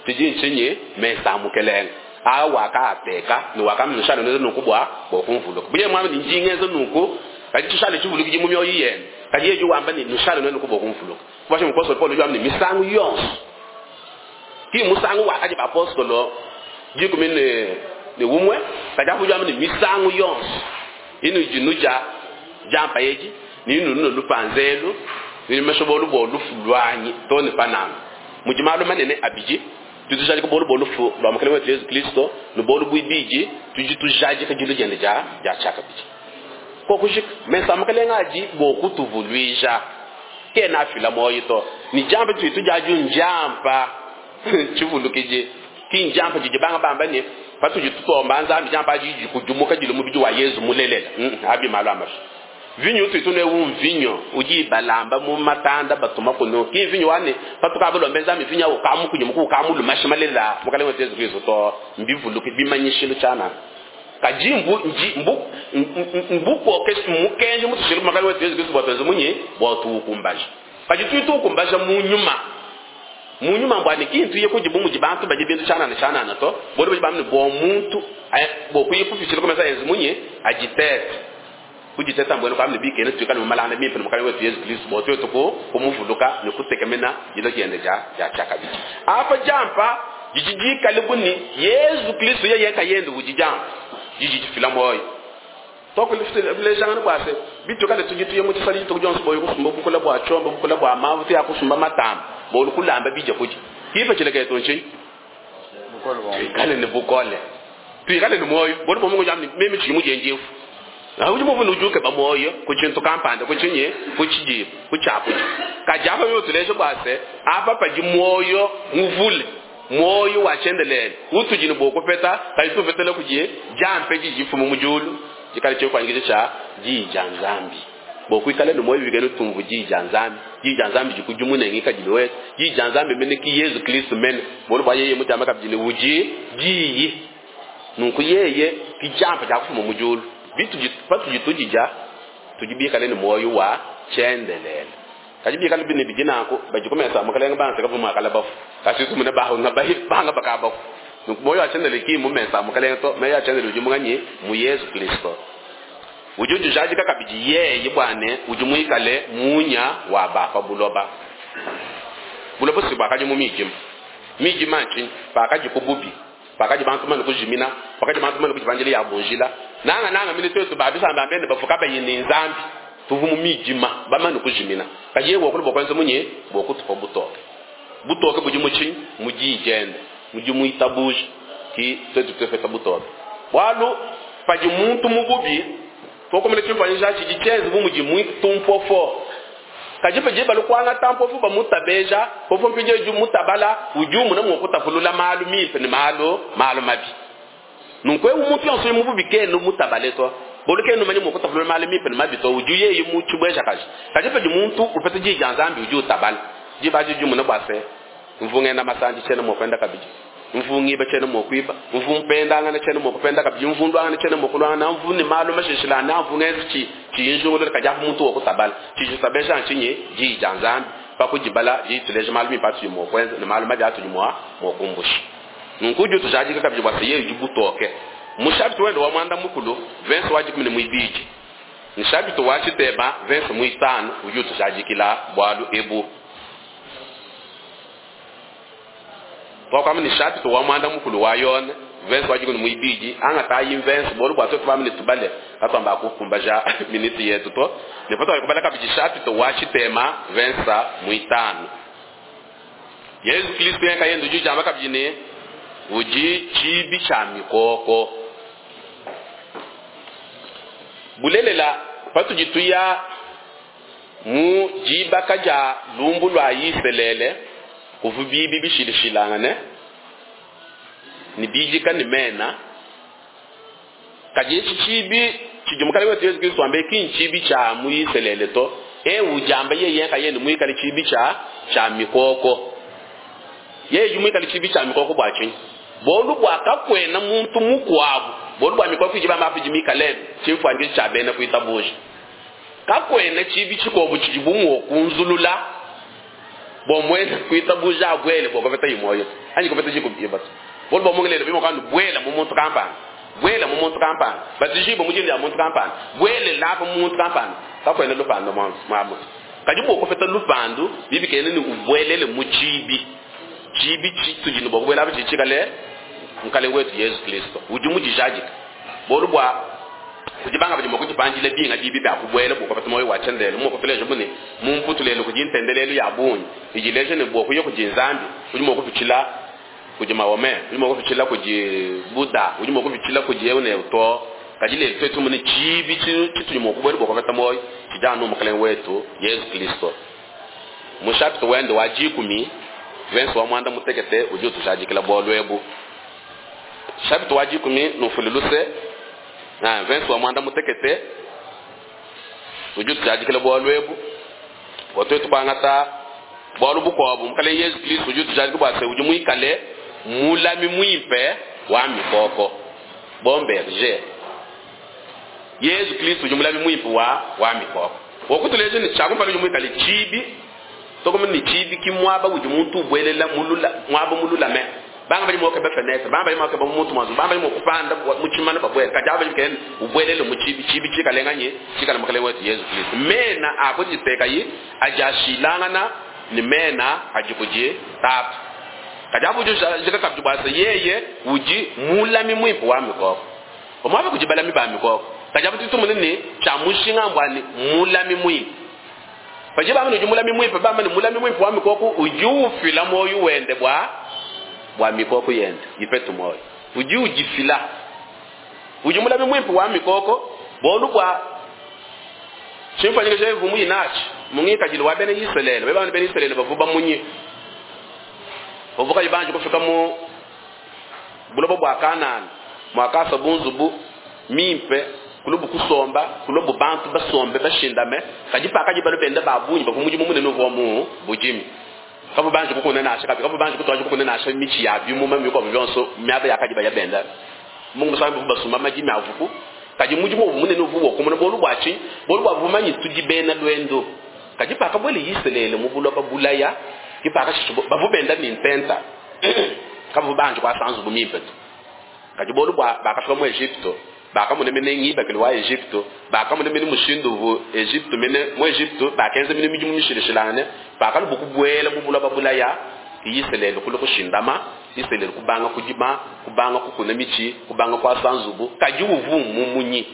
tshidi ntshinyi mesa mukelenge. A wakaateka ne wakamnshale nwezo nuku bua bua kumvuluka. Buye mwami ni njingezo nuku kadi tshishale tshivuluki mu mioyo yenu. Kadi yeju wamba ni nshale nwezo nuku bua kumvuluka. Kubasha mupostolo Paulo yamni misangu yonso. Ki musangu wakaji bapostolo jikumi ne ne umwe kadi afu yamni misangu yonso. Inu jinuja jampa yeji ni inu nuno lupanzelu ni meshobolu bo lufu lwanyi to ne panama. Mujimalu manene abiji tutujadika bolu bolu fu lwa mukelenge wetu Yesu Kristo no bolu buibiji tuji tujadika jilu jende ja ja chaka biji. Kokushika mesa mukelenge aji bo kutuvuluija kena afila moyo to ni jampa tu tujaju njampa chivulukije kinjampa jiji banga bamba ne patuji tutomba nzambi jampa jiji kujumuka jilu mubiji wa Yesu mulelela abi malu amashi. Vinyo tu tune wu vinyo uji balamba mu matanda batuma kuno ki vinyo wane patuka balombe nzambi vinyo ukamu kunyumuku ukamu lumashimalela mukalenge wetu Yesu Kristo to mbivuluki bimanyishilo chana. Kajimbu nji mbu mbuko kesi mukenje mutushiru mukalenge wetu Yesu Kristo bwatweze munyi bwatukumbaje. Kaji tu tukumbaje mu nyuma. Mu nyuma mbwa ni kintu ye kujibu muji bantu baje bintu chana na chana na to bodi baje bamne bo muntu bo kuyipufishira komesa Yesu munyi ajitete. Kujiteta mbwenu kwa mnibike ne tukana malana mimpe mukalenge wetu Yesu Kristo bwatwe tuko kumuvuluka ne kutekemena jilo jende ja ja chakabiki. Apa jampa jijijika libuni Yesu Kristo yeye kayende ujijampa jijifila moyo. Toko lifile kwa se bitu kale tujitu mu tsali to jonso boyo kusumba bukula bwa chombo bukula bwa mavu ya kusumba matamba bolu kulamba bija kuji. Kipa chileke tonchi. Kale ne bukole. Tuikale ne moyo bolu bomungu jamni mimi chimu jenjefu. Udi muvune udi ukeba muoyo ku tshintu kampanda, ku tshinyi, ku tshidi, ku tshiakudia. Kadi apa bible utuleja bua se, apa padi muoyo muvule, muoyo wa tshiendelele utudi ne bua kupeta, kadi tuupetela kudi diampa didi difuma mu diulu, dikale tshimfuanyikiji tshia Diyi dia Nzambi. Bua kuikala ne muoyo bikale tumvua Diyi dia Nzambi. Diyi dia Nzambi dikudimune ngikadilu wetu. Diyi dia Nzambi mene ki Yezu Kristo mene, bualu bua yeye mudiamba kabidi ne, udi Diyi. Nunku yeye ki diampa dia kufuma mu diulu. Bitudi, patudi tudidia, tudi bikale ne muoyo wa tshiendelele. Kadi bikale ne bidi nanku, badi ku mesa a Mukelenge banseka bu muakala bafue. Kadi tumune banga banga bakabafue. Nunku muoyo wa tshiendelele ki mu mesa a Mukelenge to, muoyo wa tshiendelele udi munganyi? Mu Yezu Kristo. Udi udijadika kabidi yeye bua ne udi muikale munya wa ba pa buloba. Buloba si buakadi mu midima. Midima ntshinyi? Pakadiku bubi, pakadi bantu mane kujimina, pakadi bantu mane kudipandila yabu njila, nangananga mene tuetu ba bisamba bia bende bavua kabayi ne Nzambi, tuvua mu midima, bamane kujimina. Kadi yeye wakula bua kuenza munyi? Bua kutupa butoke. Butoke budi mu tshinyi? Mu diyi diende, mu dimuitabuja, ki tuetu tupeta butoke. Bualu padi muntu mu bubi, tuokomela tshimfuanyikiji tshidi tshienze bu mudi muntu mpofo. Kadi padi balu kuangata mpofu bamutabeja, mpofu mpindieu udi mutabala, udi umona mua kutapulula malu mimpe ne malu malu mabi. Nunku eu muntu yonso udi mu bubi kena mutabale to, bualu kena umanya mua kutapulula malu mimpe ne mabi to, udi yeye mu tshibuejakaji. Kadi padi muntu upeta diyi dia Nzambi, udi utabala. Diba adi udi umona bua se, mvua ngenda masandi tshiena mua kuenda kabidi, mvua ngiba tshiena mua kuiba, mvua mpendangana tshiena mua kupenda kabidi, mvua nduangana tshiena mua kuluangana, mvua ne malu mashilashilangane, mvua ngenza tshiyi njingulula. Kadi apa muntu wa kutabala, tshidi tshitabesha ntshinyi? Diyi dia Nzambi. Pa kudibala, didi dituleja malu mimpe atudi mua kuenza ne malu mabi atudi mua kumbusha. Nunku udi utujadika kabidi bua se, yeye udi butoke. Mu shapita wende wa muanda mukulu, verse wa 12, ne shapita wa tshitema, verse muitanu, udi utujadikila bualu ebu. Tuakuamba ne shapita wa muanda mukulu wa Yone, verse wa 12, angatayi mverse bualu bua tuetu bamane tubale, katuamba kukumbaja minute yetu to. Ne patuakubala kabidi shapita wa tshitema, verse muitanu. Yezu Kristo nkayende udi ujamba kabidi ne udi tshibi tshia mikoko. Bulelela, patudi tuya mu dibaka dia lumbu lua Isalele, kuvua bibi bishilashilangane ne bidika ne mena. Kadi etshi tshibi tshidi Mukalenge wetu Yezu Kristo wamba ki ntshibi tshia mu Isalele to. Eu ujamba yeye nkayende muikale tshibi tshia tshia mikoko. Yeye udi muikale tshibi tshia mikoko bua tshinyi? Bualu bua kakuena muntu mukuabu, bualu bua mikoko idi bamba idi mikale tshimfuanyikiji tshia bena kuitabuja. Kakuena tshibi tshikuabu tshidibu mua kunzulula bua muena kuitabuja abuele bua kupeta muoyo anyi kupeta dikubibua to. Bualu bua mungelelo bima kandu buela mu muntu kampanda, buela mu muntu kampanda, batijibua mu dina dia muntu kampanda, buele lapa mu muntu kampanda, kakuena lupandu mua mutu. Kadi bua kupeta lupandu bibikene ne ubuelele mu tshibi. Tshibi tshitudi ne bua kubuela apa tshidi tshikale Mukalenge wetu Yezu Kristo udi mudijadika. Bualu bua kudi banga badi mua kudipandila binga bibi bia kubuela bua kupeta muoyo wa tshiendelele. Mua kutuleja bu ne mu Mputu lelu kudi ntendelelu ya bungi idi ileja ne bua kuya kudi Nzambi udi mua kupitshila kudi Mahomet, udi mua kupitshila kudi Buddha, udi mua kupitshila kudi eu ne eu to. Kadi lelu tuetu mune tshibi tshitudi mua kubuela bua kupeta muoyo tshidi anu Mukalenge wetu Yezu Kristo. Mu shapita wende wa 10, verse wa muanda mutekete udi utujadikila bualu ebu. Shapita wa 10, numfule luse, verse wa muanda mutekete udi utujadikila bualu ebu. Bua tuetu kuangata bualu bukuabu, Mukalenge Yezu Kristo udi utujadika bua se udi muikale mulami muimpe wa mikoko, bon berger. Yezu Kristo udi mulami muimpe wa wa mikoko. Wakutuleja ne tshiakumpala udi muikale tshibi, tokoma ne tshibi ki muaba udi muntu ubuelela mulula, muaba mululame. Banga badi mua kukeba fenetre, banga badi mua kukeba muntu muazu, banga badi mua kupanda mu tshimana babuela. Kadi aba badi kena ubuelele mu tshibi, tshibi tshikale nganyi? Tshikale Mukalenge wetu Yezu Kristo. Mena a kuditekayi adi ashilangana ne mena adi kudi Tatu. Kadi aba udi ujadika kabidi bua se yeye udi mulami muimpe wa mikoko. Pamuapa kudi balami ba mikoko. Kadi aba tudi tumona ne tshia mushinga mbua ne mulami muimpe. Padi bamba ne udi mulami muimpe, bamba ne mulami muimpe wa mikoko udi ufila muoyo wende bua bua mikoko yende ipete muoyo. Udi udifila. Udi mulami muimpe wa mikoko. Bolu bwa chimfanyikisha ivumu inachi mungikajili wa bene Israeli beba bene Israeli bavuba munyi bavuka ibanje kufika mu bulobo bwa Kanani mwakasa bunzubu mimpe kulubu kusomba kulubu bantu basombe bashindame kajipa kajiba lubenda babunyi bakumuji mumune nuvo mu bujimi kabu banje kukuna nasha kabi kabu banje kutwaje kukuna nasha michi ya bimuma miko byonso myaba yakajiba yabenda Mungu musambi basumba majimi avuku kaji mujimu mune nuvo kumuna bolu bwachi bolu bwavumanyi tujibena lwendo kajipa kabwele yiselele mubuloba bulaya kipaka shishubo bavubenda ni ntenta kabu banje kwa sanzu bumimpe kaji bolu bwa bakafika mu Egypto bakamune mene ngibakele wa Egypto bakamune mene mushindu vu Egypto mene mu Egypto bakenze mene mijimu mishilishilane bakalu bukubwela bubula babulaya yiselele kulo kushindama yiselele kubanga kujima kubanga kukuna michi kubanga kwa sanzubu kaji uvumu munyi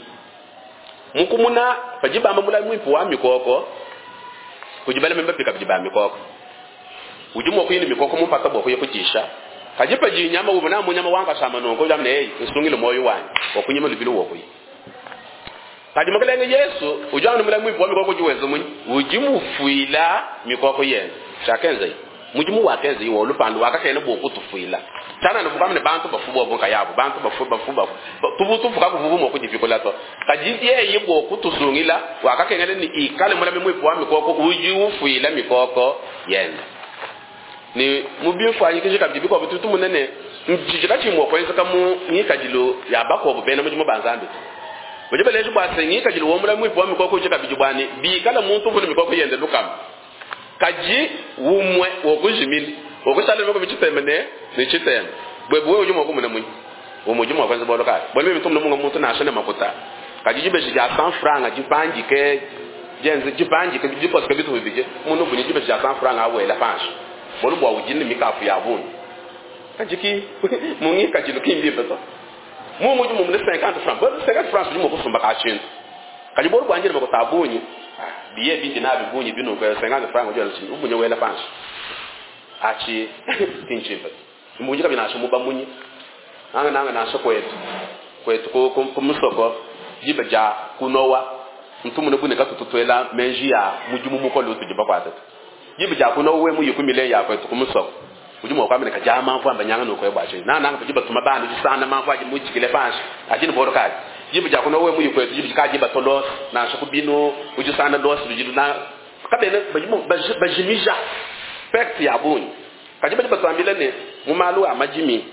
mukumuna pajibamba mula mwimpu wa mikoko kujibala memba pika bijibamba mikoko ujumo kuyini mikoko mupata bwo kuyekutisha kajipa jinyama ubona munyama wanga shama nongo jamne hey usungile moyo wanyu wakunyima lubilo wokuyi kajimakelenge Yesu ujana mula mwipo wa mikoko jiwezo munyi ujimufuila mikoko yenu chakenze mujimu wakenze iwo lupando wakakene bokutufuila tana nuvukamne bantu bafubo bonka yabo bantu bafuba bafuba tubutufuka kuvubu mo kujifikola to kajiye yibo kutusungila wakakengele ni ikale mula mwipo wa mikoko ujiufuila mikoko yenu ni mubimfanyikishe kabidi kwa bitu munene mjijika chimwe kwenza kamu ngikajilo ya bako bena mujimu banzambi mujibeleje bwase ngikajilo womula mwipo wa mikoko chika bijibwani bikala muntu vuni mikoko yende lukama kaji umwe wokujimili wokushala mikoko bichitemene ni chiteme bwebwe ujumo kumune munyi umujumo kwenza boloka bwele mitu mungu muntu nashane makuta kaji jibeje ja 100 francs jipangike jenze jipangike jiposike bitu bibije munu vuni jibeje ja 100 francs awela panshi bolu bwa ujini mikafu ya bunu kajiki mungi kajilo kimbi beto mungu jumu mune 50 francs bolu 50 francs jumu kusumba kachintu kaji bolu bwanje mako tabunyi biye bindi na bibunyi binu kwa 50 francs ujana chini ubunye wela panshi achi tinchimba mungi kabina asho munyi anga nanga nasho kwetu kwetu ko kumusoko jibeja kunowa mtumune bune katututwela menji ya mujimu mukolo tujiba kwatatu jibe kuno we mu yikumile ya kwetu kumusoko ujumo kwa mene kajama mvu ambanyanga nuko ebwache na nanga jiba tuma bandu jisana mamvu aji mujikile panshi ajini boro kaji jibe kuno we mu yikwetu jibe kaji batolos na shakubino ujisana dos bijilu na kabene bajimu bajimija pect ya bunyi kajiba jiba twambile ne mumalu amajimi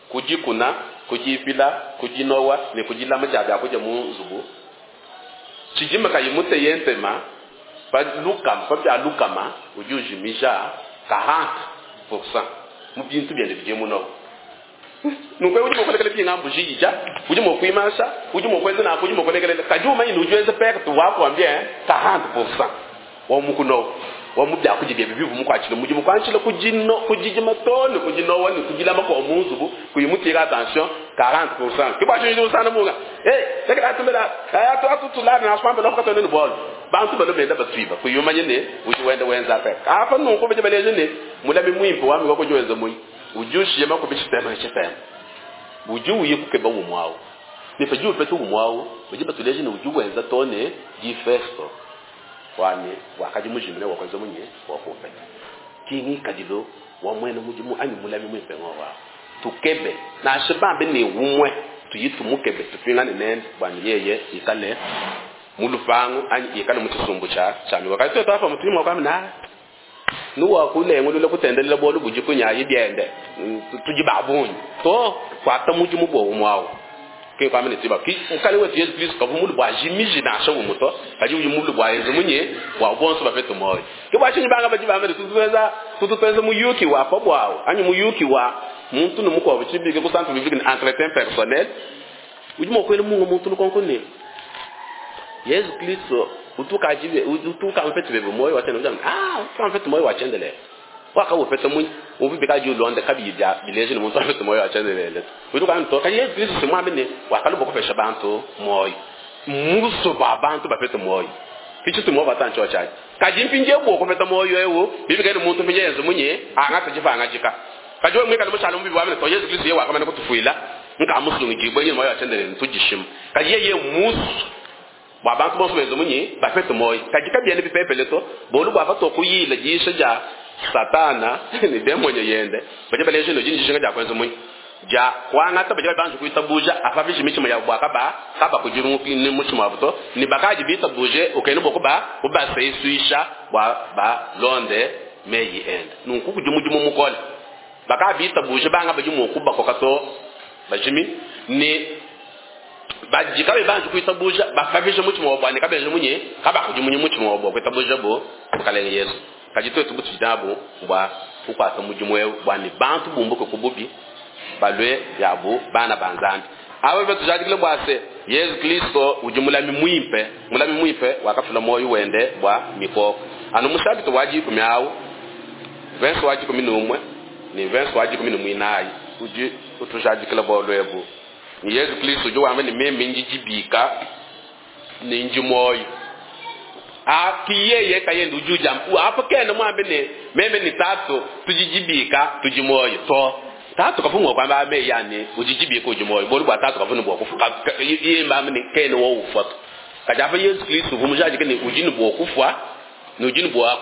kujikuna kujipila kujinowa ne kujilama jabya kuja mu nzubu chijima kayimute yentema pa lukama pa bya lukama ujujimija 40% mu bintu byende bije muno nukwe ujimo kolekele bingambu jija ujimo kuimasha ujimo kweza na ujimo kolekele kajuma inu ujweze peka tu wako ambie 40% wa mukuno wa mubya kujibye bibivu mukwachile mujimu kwanchile kujino kujijima tone kujino wani kujilama kwa muzubu kuyimutira attention 40% kibwa chinjo sana muga eh sekra atumela atu atutulana na swamba lokatone ni ball bantu balo benda batwiba kuyumanye ne ujiwenda wenza peka apa nunko beje baleje ne mulabi mwimpo wami wako jowenza munyi ujushi yema kubishitema chitema uju uyikukeba umwawo nifa ju petu umwawo uje batuleje ne uju wenza tone di festo wani wakaji mujimine wakoze munye wakupeta kingi kadilo wa mwene mujimu anyi mulabi mwimpe ngowa tukebe na shibambe ni umwe tuyitumukebe tupingane nende bwani yeye ikale mulupangu anyi ikale muchisumbu cha chami wakati tutafa mutima kwa mna nuwa kulengo lule kutendelela bolu bujikunya yibyende tujibabunyi to kwata mujimu bo umwawo ke kwa mene tiba ki ukale wetu Yesu Kristo kavumulu bwa jimiji na asho umuto kaji ujimulu bwa Yesu munye wa bonso bafeto moyo ke bwa chinyi banga bajibambe tututweza tututweza muyuki wa pabwawo anyi muyuki wa muntu numuko bchibike kusantu bibike entretien personnel ujimo kwele mungu muntu nukonkone Yesu Kristo utuka jibe utuka mfete bebe moyo watena ujam ah utuka mfete moyo wachendele waka ufete munyi ubibika ju londe kabija bileje ni muntu mfete moyo wachendele utuka mtoka Yesu Kristo simwamene wakalubo kufesha bantu moyo muso ba bantu bafete moyo kichi tumo batancho chaji kajimpinje bwo kufeta moyo ewo bibike ni muntu mpinje Yesu munye anga tujifanga jika kajo mweka no mushalo mbibi wamene to Yesu Kristo ye wakamane kutufuila Nka musungidibue nyuma wa tshiendelele ntudishima. Kadi yeye mmusue bua bantu bonso benze munyi? Bapete muoyo. Kadi kabiena bipepele to, bualu bua patuakuyila diyisha dia Satana ne demonyo yende, badi baleja ne udi ne dijinga dia kuenza munyi? Dia kuangata badi banji kuitabuja apapishe mitshima yabu bua kaba kabakudimuki mutshima wabu to, ne bakadi bitabuje ukena bua kuba kubasesuisha bua balonde meyi ende. Nunku kudi mudimu mukole. Bakabitabuje banga badi mua kubakoka to bajimi ne badi kabayi banji kuitabuja bapapishe mutshima wabu ne kabenza munyi? Kabakudimunyi mutshima wabu bua kuitabuja bu Mukalenge Yesu. Kadi tuetu butudi nabu bua kukuata mudimu eu bua ne bantu bumbuke ku bubi balue yabu bana ba Nzambi. Aba batujadikile bua se Yezu Kristo udi mulami muimpe, mulami muimpe wakafila muoyo wende bua mikoko. Anu mu chapitre wa dikumi au, verse wa 11 ne verse wa 14 udi utujadikila bualu ebu. Ne Yezu Kristo udi wamba ne meme ndi dibika ne ndi muoyo. A ki yeye kayende udi ujamba apa kena muambe ne meme ne tatu tudi dibika tudi muoyo to. Tatu kafunga kwamba ame yani udi dibika udi muoyo bualu bua tatu kafuna bua kufa yeye mbambe ne kena wo ufa to. Kadi apa Yesu Kristo uvua mujadike ne udi ne bua kufua ne udi ne bua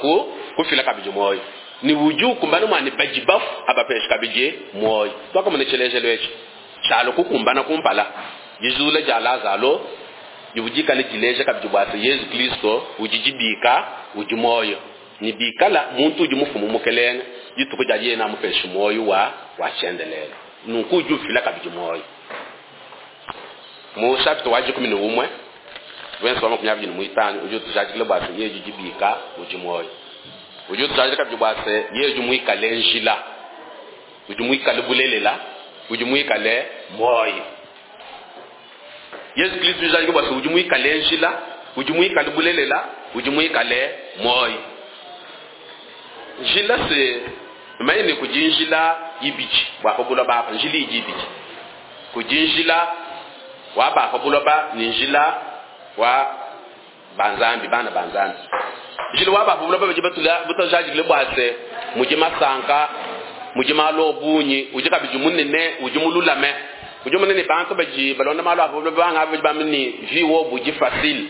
kufila kabidi muoyo ne udi ukumbana mua ne badi bafu abapesha kabidi muoyo. Twakamona tshilejilu etshi tshialo kukumbana kumpala dijula dia Lazalo divudikale dileja kabidi bua se Yesu Kristo udi dibika udi muoyo ne bikala muntu udi mufumu mukelenge dituku dia yeye namupesha muoyo wa wa tshiendelele. Nunku udi ufila kabidi muoyo. Mu chapitre wa 11 verse wa 25 udi utujadikila bua se yeye udi dibika udi muoyo. Udi utujadikila kabidi bua se yeye udi muikale njila, udi muikale bulelela, udi muikale muoyo. Yesu Kristo ujadika bua se udi muikale njila, udi muikale bulelela, udi muikale muoyo. Njila se manye ne kudi njila ibidi bua pa buloba apa, njila idi ibidi. Kudi njila wa ba pa buloba ne njila wa banzambi, bana banzambi. Njila wa ba pa buloba badi batula butajadikile bua se mudi masanka, mudi malu obunyi, udi kabidi munene, udi mululame. Udi munene bantu badi balonda malu a pa buloba banga badi bamba ne vie wo budi facile.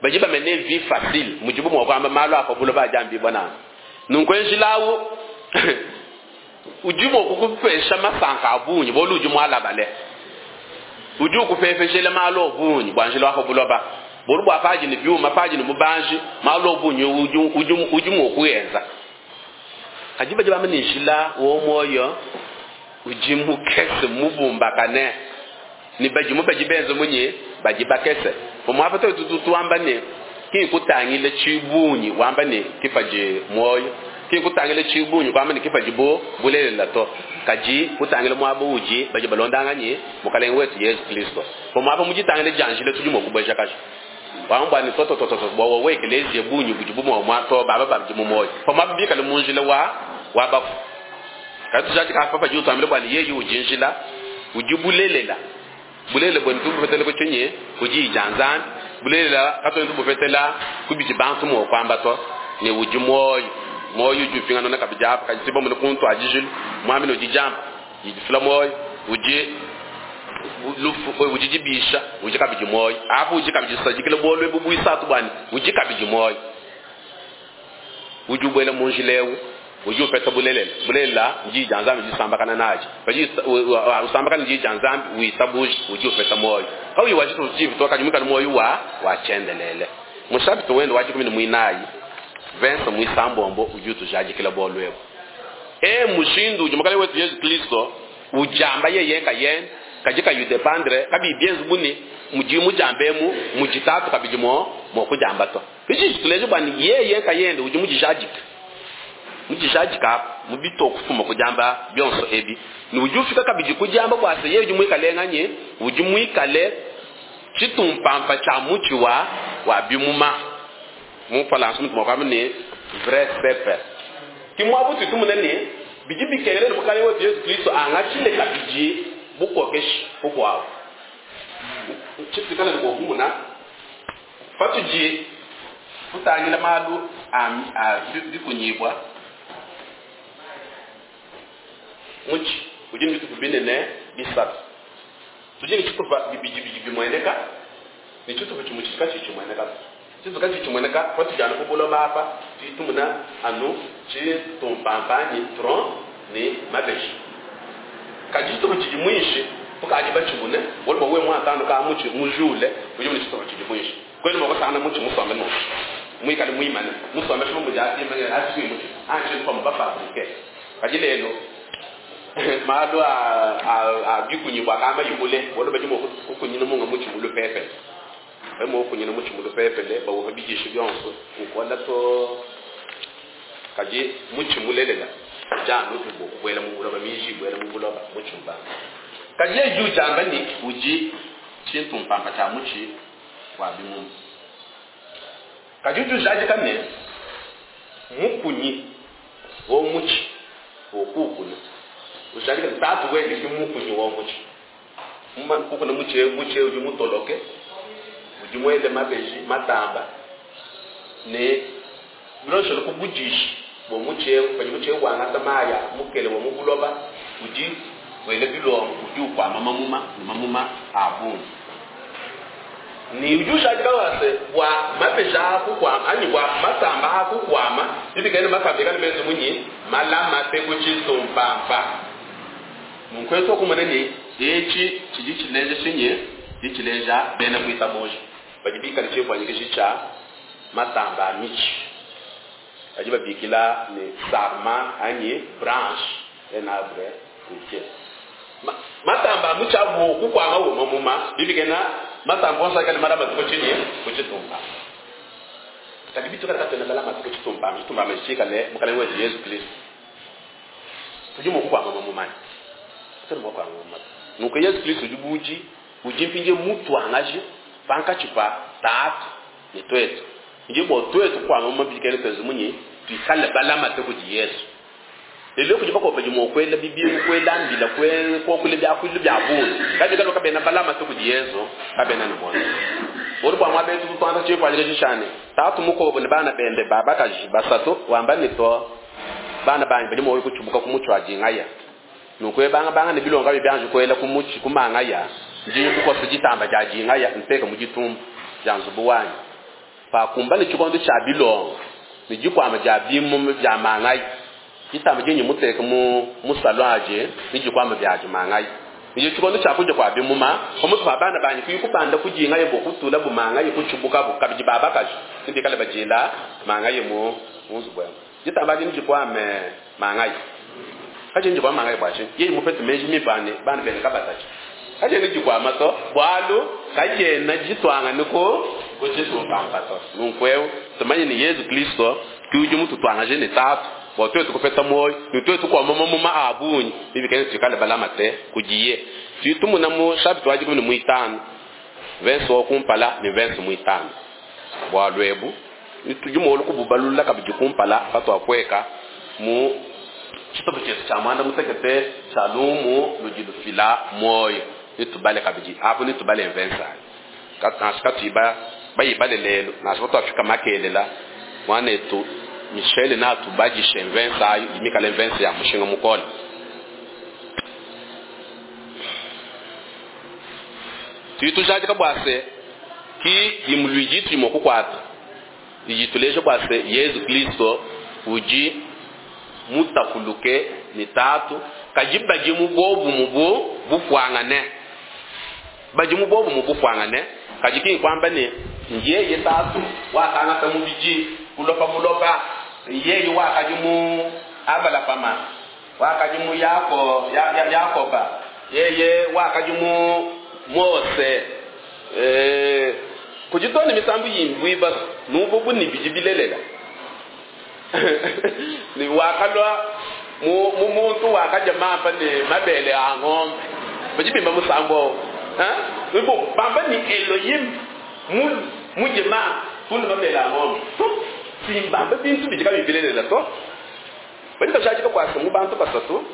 Badi bamene vie facile, mudibu mua kuamba malu a pa buloba adi ambibua nanku. Nunku njila awu udi mua kukupesha masanka a bungi, bualu udi mualabale. Udi ukupepejela malu a bungi bua njila wa pa buloba. Bualu bua paji ne biuma, paji ne bubanji, malu a bungi udi mua kuenza. Kadi badi bamba ne njila wa muoyo udi mukese mubumbakane. Ne badi mu badi benze munyi badi bakese. Pamuapa tuetu tuamba ne ki kutangila tshibunyi wamba ne kipaji muoyo, ki kutangila tshibunyi wamba ne kipaji bo bulelela to. Kadi kutangila muaba udi badi balondanganye mukalenge wetu Yesu Kristo. Pamuapa mujitangile janjile tudi mua kubeja kaji. Wamba ne toto toto toto bwa wewe eklezia bunyi budi bumwa mwa to baba babdi mu moyo. Pamuapa bikale mu njila wa bafu. Kadi tujadika apa padi utambile bwa ne yeye udi njila, udi bulelela. Bulelela bwe ntubupetela ku tshinyi? Ku diyi dia Nzambi. Bulelela katuena tubupetela ku bidi bantu mua kuamba to, ne udi muoyo. Muoyo udi upinganuna kabidi apa, kadi tudi bamone ku ntuadijilu, muambi ne udi diampa, didi difila muoyo, udi lufu, udi dibisha, udi kabidi muoyo. Apa udi kabidi sadikila bualu ebu buisatu bua ne udi kabidi muoyo. Udi ubuela mu njila eu, udi upeta bulelela. Bulelela diyi dia Nzambi disambakana naji. Padi usambakana diyi dia Nzambi witabuja, udi upeta muoyo. Kauyi wa tshitu tshivi to, kadi muikale muoyo wa tshiendelele. Mu chapitre wende wa 14, verse muisambombo udi utujadikila bualu ebu. E mushindu udi mukalenge wetu Yesu Kristo ujamba yeye kayende, kadi kayi dependre, kabi bienze buni, mudi mujambe mu, mujitatu kabidi mo kujamba to. Ichi tuleje bwa ni yeye kayende udi mujijadika. Mujijadika mubito kufuma kujamba byonso ebi. Ni udi ufika kabidi kujamba bwa se yeye udi muikale nganye, udi muikale chitumpampa cha muchi wa bimuma. Mu falansa mutu mwakama ni vrai cep. Kimwa butu tumunene bidi bikelele mukalenge wetu Yesu Kristo angachile kabidi bukokeshi bukwao. Chitikana ko kumuna fatuji kutangila malu a bikunyibwa muchi udi ne bitupa binene bisatu. Tudi ne tshitupa bibidi bidi bimueneka ne tshitupa tshimue tshidi katshiyi tshimueneka. Tshitupa katshiyi tshimueneka patudi anu ku buloba apa, tudi tumona anu tshitumpampa anyi tronc ne mabeji. Kadi tshitupa tshidi muinshi tukadi batshimune, bualu bua wewe muatanu ka mutshi mujule, udi mune tshitupa tshidi muinshi. Kuena mua kusangana mutshi musombe nunku, muikale muimane, musombesha bu mudi apimanya atshi mutshi anshi pamue bafabrike. Kadi lelu malu a bikunyibua akamba yikule, bualu badi mua kukunyina munga mutshi mu lupepele. Badi mua kukunyina mutshi mu lupepele, bawuha bidishi bionso, ukola to. Kadi mutshi mulelela udi anu bua kubuela mu buloba, miji ibuela mu buloba, mutshi ubanga. Kadi yeye udi udiamba ne udi tshintumpampa tshia mutshi wa bimuma. Kadi udi ujadika ne mukunyi wa mutshi wokuukuna, ujadika ne tatu wende ki mukunyi wa mutshi. Kukuna mutshi eu, mutshi eu udi mutoloke, udi muele mabeji matamba ne bilondeshile ku budishi bua mutshi eu. Padi mutshi eu wangata mayi a mukele wa mu buloba, udi wela bilongo, udi ukuama mamuma ne mamuma a bungi. Ne udi ujadika bua se, bua mabeji aa kukuama anyi bua matamba aa kukuama, bibikale ne matamba ikale menze munyi? Malamate ku tshitumpampa. Nunku etu kumona ne etshi tshidi tshileja tshinyi? Tshidi tshileja bena kuitabuja badi bikale tshimfuanyikiji tshia matamba a mitshi, badi babikila ne sarma anyi branche un arbre fruitier. Matamba a mutshi abu kukuama wo mamuma, bibikena matamba onso akale malamate ku tshinyi? Ku tshitumba. Kadi bitukale katuena balamate ku tshitumba, tshitumba tshikale Mukalenge wetu Yezu Kristo, tudi mua kukuama mamuma anyi? Katuena mua kukuama mamuma. Nunku Yezu Kristo udi budi udi mpindieu mutuangaji pankatshi pa Tatu ne tuetu. Ndi bua tuetu kukuama mamuma bidikele tuenze munyi? Tuikale balamate kudi Yezu. Lelu kudi bakuabo badi mua kuela bibingu, kuela mbila, kuakula biakuilu bia bungi, kadi bikale kabena balamate kudi Yezu, kabena ne muoyo. Bualu bua muaba etu tutuanza tshimfuanyikiji tshia ne tatu mukuabo ne bana bende ba bakaji basatu, wamba ne, to bana banyi badi mua kutshibuka ku mutshi wa dingaya. Nunku ebangabanga ne bilongo kabiyi bianji kuela ku mutshi ku mangaya, ndi nkukosa ditamba dia dingaya nteka mu ditumba dia nzubu wanyi. Pakumbana tshikondo tshia bilongo ne dikuama dia bimuma bia mangayi, ditamba dindi muteke mu musalu adi ne dikuama biadi mangayi. Ne tshikondo tshia kudia kua bimuma, pamutu pa bana banyi kuyi kubanda ku dingayi bua kutulabu mangayi, kutshibukabu kabidi ba bakaji ne bikale badila mangayi mu nzubu emu. Ditamba adi ndikuame mangayi. Kadi ndikuame mangayi bua tshinyi? Yeye mupete meji mimpe a ne bana bende kabatatshi. Kadiena dikuama to, bualu kadiena dituangane ku ku tshitumpampa to. Nunku eu tumanye ne Yezu Kristo ke udi mututuangaje ne Tatu bua tuetu kupeta muoyo ne tuetu kuama mamuma a bungi, bibikale tuikale balamate kudiye. Tudi tumona mu chapitre wa 15 verse wa kumpala ne verse muitanu bualu ebu tudi mua kububalula kabidi kumpala patuapueka mu tshitupa tshietu tshia muanda mutekete tshia lumu ludi lufila muoyo. Nitubale kabidi apo, nitubale mvensa nansha katuyi bayibale lelu, nansha patuafika makelela muanetu Michel natubadishe mvensa ayo imikale mvensa ya mushinga mukole. Tudi tujadika bua se ki imuluidi tudi mua kukuata idi tuleja bua se Yezu Kristo udi mutapuluke ne Tatu, kadi badi mu bobu mu bupuangane, badi mu bobu mu bupuangane. Kadi ki nkuamba ne yeye Tatu wakangata mubidi kulopa buloba, yeye wakadi mu Abalahama, wakadi mu Yakoba, yeye wakadi mu Mose. Kudi tone misambu yimbuiba nubu ni bidi bilelela. Ni wakalwa mu muntu wakaja mampa ne mabele a ng'ombe. Badi bimba musambo. Ha? Nubu bamba ni Elohim mu mujema tunu mabele a ng'ombe. To simbamba bintu bidi kabi bilelela to. Badi bashadika bua mu bantu basatu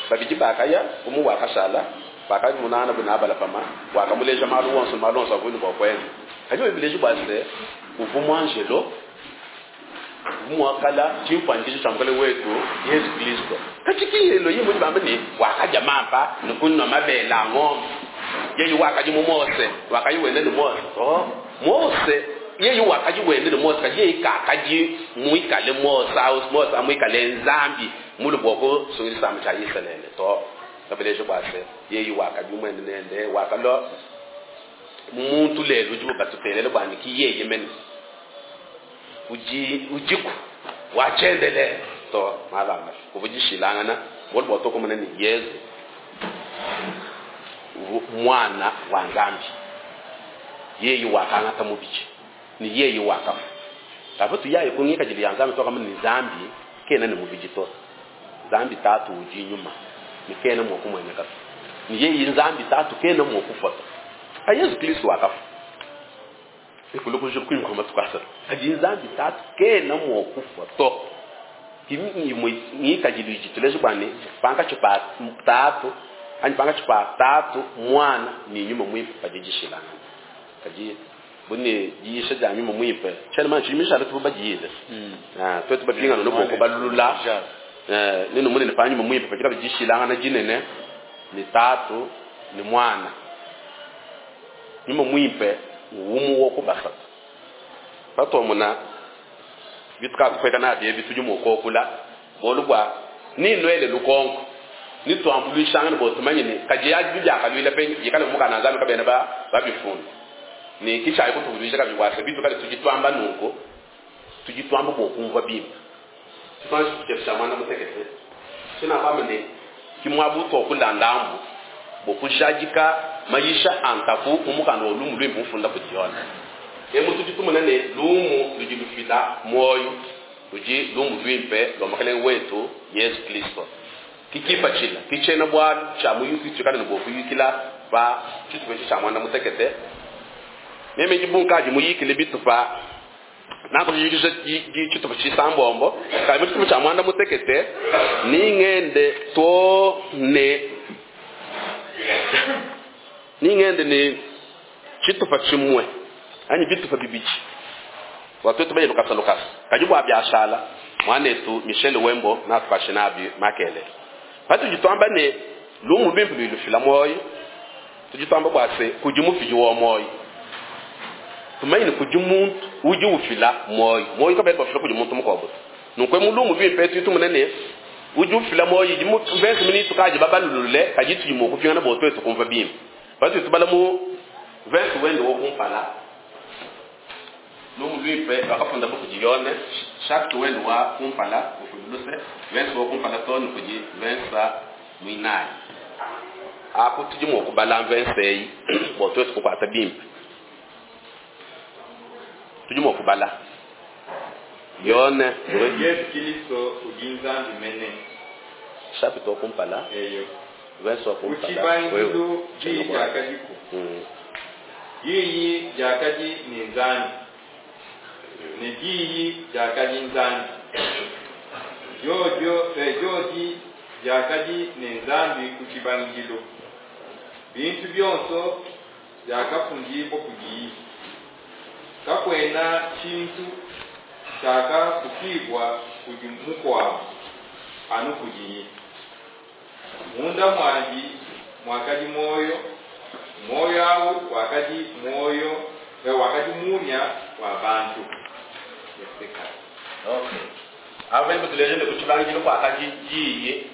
babidi bakaya umu wakashala bakadi munana bunabala pama wakamuleja malu wonso malu wonso avuni bua kuenza. Kadi bileji bua se uvu muangelo mwakala chimfanikiso cha mukale wetu Yesu Kristo. Kachiki Elohim mudi bamba ni wakaja mampa nukunwa mabele a ng'ombe. Yeye wakadi mu Mose, wakadi wenda ne Mose. To Mose yeye wakadi wenda ne Mose, kadi yeye kakadi muikale Mose au Mose amuikale Nzambi mulu bua kusungila tshisamba tshia Isalele to. Kabeleje bua se yeye wakadi muende nende wakalua muntu lelu udibo batutelele bua ne ki yeye mene udi udiku watshiendelele to malamba kuvudishilangana bualu bua tokumona ne Yezu mwana wa Nzambi, yeye wakangata mubidi ne yeye wakafa. Kava tuyaye ku ngikadilu ya Nzambi twakamona ne Nzambi kena ne mubidi to. Nzambi tatu udi nyuma ne kena mua kumueneka to, ne yeye Nzambi tatu kena mua kufa to. Ka Yezu Kristo wakafa ekulu kuimba matuku asatu, kadi Nzambi tatu kena mua kufa to. Ngikadilu idi tuleje bua ne pankatshi pa tatu anyi pankatshi pa tatu mwana ne nyuma muimpe padi dishilangana. Kadi bune diyisha dia nyuma muimpe tshiena mana tshidi mishala tubu badiyile twetu bapingana no boko balula nenu munene pa nyuma muimpe padi kabidi dishilangana dinene ne tatu ne mwana. Nyuma muimpe umu wo kubasatu patwamona bitukakukweka nabyo ebi tudi mukokula bolu bwa ninwele lukonko nitwambulwishangana bo tumanye ne kadi yaji byakalwila pe yikale mukana Nzambi kabena ba babifunda ni kishayi kutuvuluisha kabidi bwa se bitu kale tudi twamba nunku tudi twamba bo kumva bimpe tufanshi kuchepesha mwana mutekete sina kwamba ne kimwabu okulandambu bokujadika mayisha antaku umukanda wa lumu lwimpe mufunda kudiona emu tudi tumona ne lumu ludi lufila moyo ludi lumu lwimpe lwa mukalenge wetu Yesu Kristo. Kikipatshila kitshiena bualu tshia muyuki tshikale ne bua kuyukila pa tshitupa etshi tshia muanda mutekete. Meme ndi bunkadi muyikile bitupa nakuyukisha tshitupa tshisambombo kadi mu tshitupa tshia muanda mutekete ningende to ne ningende ne tshitupa tshimue anyi bitupa bibidi bua tuetu baye lukasa lukasa kadi bua biashala mwanetu Michel Wembo natupashe nabi makelele patudi twamba ne lumu lwimpe lwilufila moyo tudi twamba bua se kudi mufidi wa moyo tumanye ne kudi muntu udi ufila moyo moyo kabena bafila kudi muntu mukuabu nunku mu lumu lwimpe tuitumune ne udi ufila moyo idi mu verse mini tukaji babalulule kadi tudi mua kupingana bua tuetu kumva bimpe patudi tubala mu verse wende wo kumpala lumu lwimpe bakafunda kudi Yone chapitre wende wa kumpala ufululuse verse wo kumpala to ne kudi verse mwinayi apo tudi mua kubala verse eyi bua tuetu kukuata bimpe tudi mua kubala Yone Yesu Kristo udi Nzambi mene chapitre wa kumpala eyo verse wa kumpala kutshibangidilu diyi diakadiku diyi diakadi ne Nzambi ne diyi diakadi Nzambi jojo jodi diakadi ne Nzambi ku tshibangidilu bintu bionso biakafundibwa kudiyi kakwena tshintu tshiakafukibwa kudi mukuabu anu kudiyi munda mwandi mwakadi moyo moyo awu wakadi moyo wakadi munya wa bantu. Okay. Ava mutulejele kutshibangidilu kwakadi diyi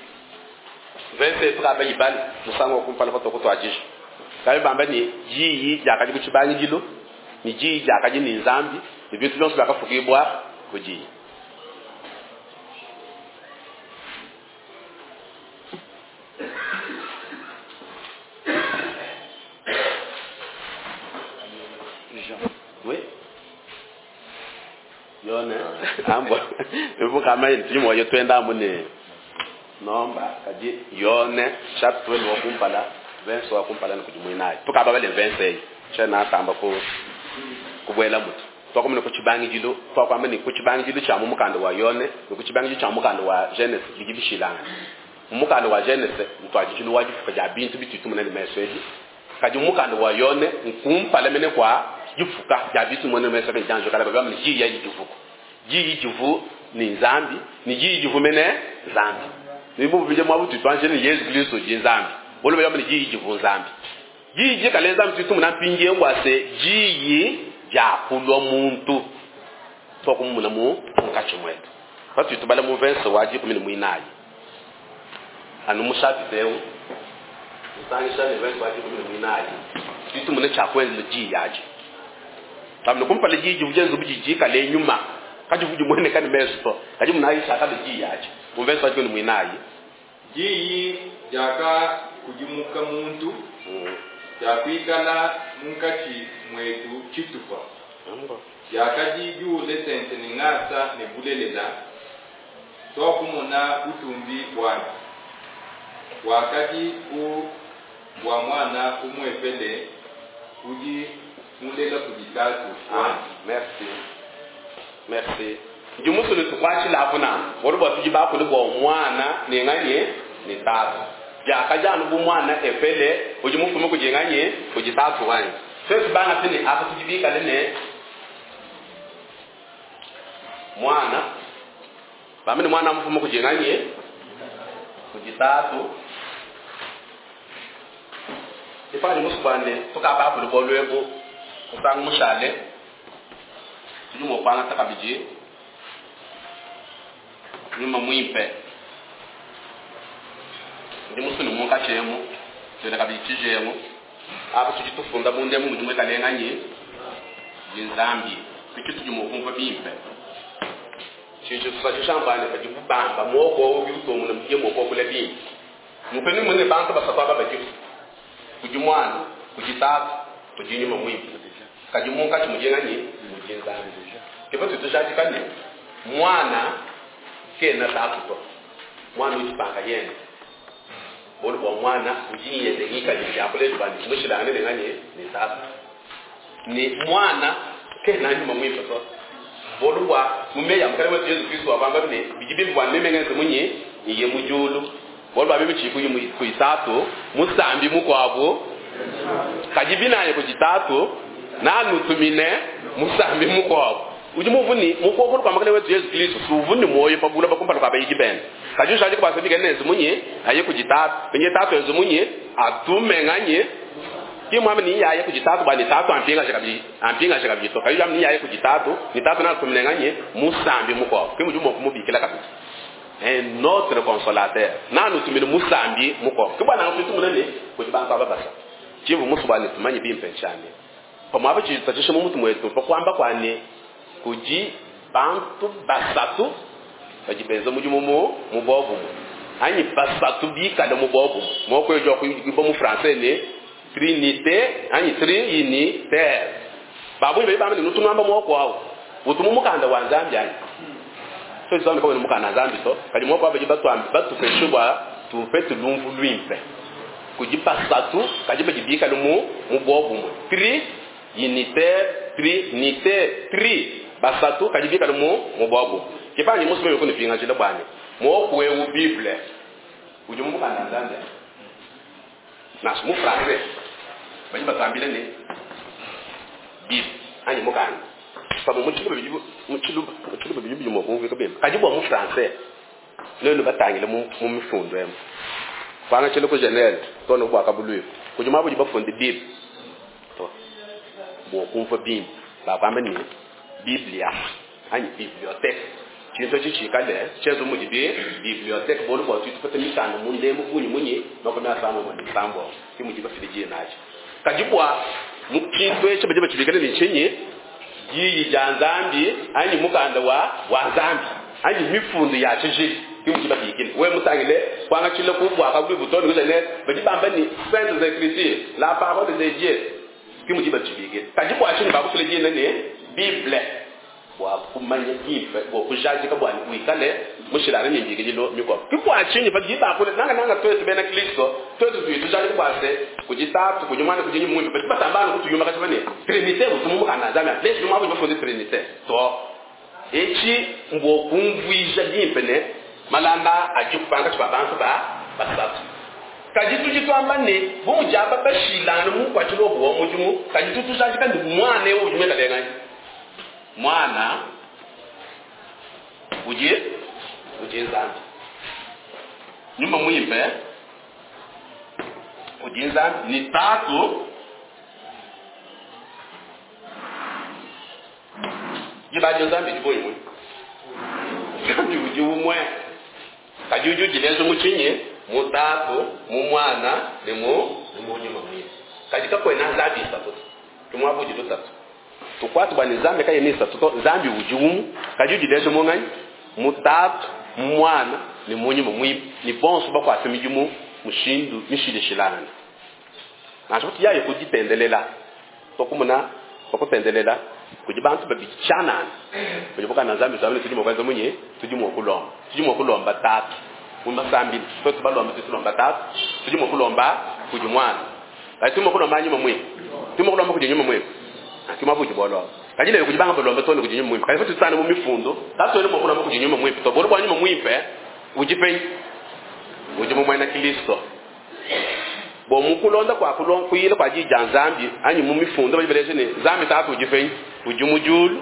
verse tukaba ibali musango kumpala patokutwadisha kabi bamba ni diyi diakadi kutshibangidilu ni diyi diakadi ni Nzambi ni bintu bionso biakafukibwa kudiyi. Oui. Yone ambo ivuka mayi tudi moyo twenda amune nomba kadi Yone chapitre 12 wa kumpala verse wa kumpala ni kudi mwinayi tukaba bale verse eyi tshena tamba ku kubwela mutu twakomene ku tshibangidilu twakwamba ni ku tshibangidilu tshia mu mukanda wa Yone ni ku tshibangidilu tshia mukanda wa Genese bidi bishilangana mu mukanda wa Genese ntwadijilu wa difuka dia bintu bitutu munene meso edi kadi mu mukanda wa Yone nkumpala mene kwa difuka dia bintu munene meso edi janjo kala babamba ni diyi ya difuka diyi divu ni Nzambi ni diyi divu mene Nzambi ni bu bije mwa butu twanje ni Yesu Kristo di Nzambi bolo bayamba ni diyi divu Nzambi Diyi dikale Nzambi tudi tumona mpindieu bua se, Diyi diakulua muntu. Tuakumumona mu munkatshi muetu. Patudi tubala mu verse wa dikumi ne muinayi anu mu shapita eu, musangisha ne verse wa dikumi ne muinayi, tudi tumona tshia kuenzela diyi adi. Tuambe kumpala diyi divua dienza bu didi dikale nyuma, kadivua dimueneka ne mesu to. Kadi monayi tshiakalua diyi adi mu verse wa dikumi ne muinayi. Diyi diakakudimuka muntu, diakuikala munkatshi muetu tshitupa, diakadi diule tente ne ngasa ne bulelela, tuakumona butumbi buandi, buakadi bu bua muana umuepele udi mulela kudi Tatu wandi. Merci. Merci. Ndi musue ne tukuatshilapu nanku, bualu bua tudi bakule bua Muana ne nganyi? Ne Tatu. Biakadi anu bu muana epele udi mufume kudi nganyi? Kudi Tatu wanyi. Tuetu bana pine apa tudi bikale ne Muana, bambe ne Muana mufume kudi nganyi? Kudi Tatu. Ipadi musue bua ne tukabakule bualu ebu musangu mushale, tudi mua kuangata kabidi Nyuma Muimpe. Ndi musue ne munkatshi emu tuele kabidi tshijengu apa. Tudi tufunda munda emu mudi muikale nganyi? Ndi Nzambi. Ke tshitudi mua kumvua bimpe. Tshidi tshitusankisha mbua ne, padibu bamba muoku au udi utuomona mudiye mua kuakula bimpe. Mupenu mumone ne bantu basatu aba badiku, kudi Muana, kudi Tatu, kudi Nyuma Muimpe. Kadi munkatshi mudi nganyi? Mudi Nzambi. Ke patudi tujadika ne, Muana kena Tatu to. Muana udi pa nkayende. Bualu bua Muana udi ne yende ngikadilu ya kuleja bua ne, mmushilangane ne nganyi? Ne Tatu. Ne Muana kena Nyuma Muimpe to. Bualu bua mu meyi a Mukalenge wetu Yezu Kristo wakamba ne, Bidi bimpe bua meme ngenze munyi? Nyiye mu diulu. Bualu bua meme tshiyi kudi Tatu, musambi mukuabu, kadi binaya kudi Tatu, nanutumine musambi mukuabu. Udi mumvue ne, mu kuokolo kua Mukalenge wetu Yezu Kristo, si uvua ne muoyo pa buloba kumpala kua bayidi bende. Kadi ujadika bua se bikale nenze munyi? Aye kudi Tatu. Pinye Tatu enze munyi? Atume nganyi? Ki muambe ne yaye kudi Tatu bua ne Tatu ampingaje kabidi, ampingaje kabidi to. Kadi udi wamba ne yaye kudi Tatu, ne Tatu neatumine nganyi? Musambi mukuabu. Ke mudi mua kumubikila kabidi un autre consolateur. Nanutumine musambi mukuabu. Ke bua nanku tudi tumona ne kudi bantu aba basatu. Tshimvua musue bua ne tumanye bimpe ntshia ne, pamuapa tshidi tshitatshisha mu mutu muetu mpa kuamba kua ne, kudi bantu basatu badi benza mudimu mu mu buobumue anyi basatu bikale mu buobumue. Muaku eu udi wakuibua mu français ne trinite anyi triunitaire. Ba bungi badi bamba ne, nutu nuamba muaku au utu mu mukanda wa Nzambi anyi? Tuetu tuambe kawena mukanda wa Nzambi to, kadi muaku au badi batuambe batupeshe bua tupete lumvu luimpe. Kudi basatu kadi badi bikale mu mu buobumue. Tri unitaire, trinitaire, tri basatu kadi bikale mu mu buobumue. Ke panyi musue meme kunupingajila bua ne muaku eu Bible udi mu mukanda wa Nzambi anyi? Nansha mu français badi batuambila ne Bible anyi mukanda. Pamue mu tshiluba bidi mu tshiluba mu tshiluba bidi bidi mua kumvuika bimpe. Kadi bua mu français nuenu batangile mu mu mifundu emu kuangatshila ku Genese too ne ku Buakabuluibua kudi muaba udi bafunde Bible to. Bua kumvua bimpe bakuamba ne Biblia anyi bibliothèque tshintu etshi tshikale tshienza mudi bi bibliothèque bualu bua tudi tupeta mikanda mu ndembu bungi munyi 36 ke mudi bafile dina adi. Kadi bua mu tshintu etshi badi batshibikila ne tshinyi? Diyi dia Nzambi anyi mukanda wa wa Nzambi anyi mifundu ya tshijila ke mudi babikila. Wewe mutangile kuangatshila ku Buakabuluibua too ne ku Genese badi bamba ne Saintes Ecritures, la parole de Dieu ke mudi batshibikila. Kadi bua tshinyi bakufila dina ne Bible? Bua kumanya bimpe, bua kujadika bua ne wikale mushilangane ne mbikidilu mikuabu. Ke bua tshinyi padi bakula, nangananga tuetu bena Kristo, tuetu tudi tujadika bua se, kudi Tatu, kudi Muana, kudi Nyuma Muimpe. Badi batamba anu kutuyumakaja ne Trinite utu mu mukanda wa Nzambi. Leji muaba udi bafunde Trinite to. Etshi mbua kumvuija bimpe ne malanda adiku pankatshi pa bantu ba basatu. Kadi tudi tuamba ne, bu mudi aba bashilangane mu nkuatshilu wabu wa mudimu, kadi tudi tujadika ne, Muana eu udi muikale nganyi? Muana udi udi Nzambi. Nyuma Muimpe. Udi Nzambi ni Tatu. Diba Nzambi didi umue. Nzambi udi umue. Kadi udi udileja mu tshinyi? Mu Tatu, mu Muana ne mu Nyuma Muimpe. Kadi kakuena Nzambi isatu. Tumwa budi tutatu. Tukwatu bwa Nzambi kaye ni isatu to. Nzambi udi umue. Kadi udileja mu nganyi? Mu Tatu, mu Muana ne mu Nyuma Muimpe. Ni bonso bakwata midimu mushindu mishilishilangana. Nansha kuti yaye kuditendelela. Tokumuna bakutendelela kudi bantu babidi tshianana. Kudi bukana Nzambi Nzambi tudi mua kuenza munyi? Tudi mua kulomba. Tudi mua kulomba Tatu. Mu masambila. Twetu balomba, tudi tulomba Tatu. Tudi mua kulomba kudi Mwana. Kadi tudi mua kulomba Nyuma Muimpe. Tudi mua kulomba kudi Nyuma Muimpe. Ki mwa budi bolomba. Kadi lelo kudi banga balomba tone kudi Nyuma Muimpe. Kadi tutana mu mifundo, Tatu wenu mua kulomba kudi Nyuma Muimpe. To bolo bwa Nyuma Muimpe udi penyi? Udi mu mwena Kristo. Bo mukulonda kwa kulonda kuyila kwa dija Nzambi anyi mu mifundo bali baleje ne Nzambi Tatu udi penyi? Udi mu julu.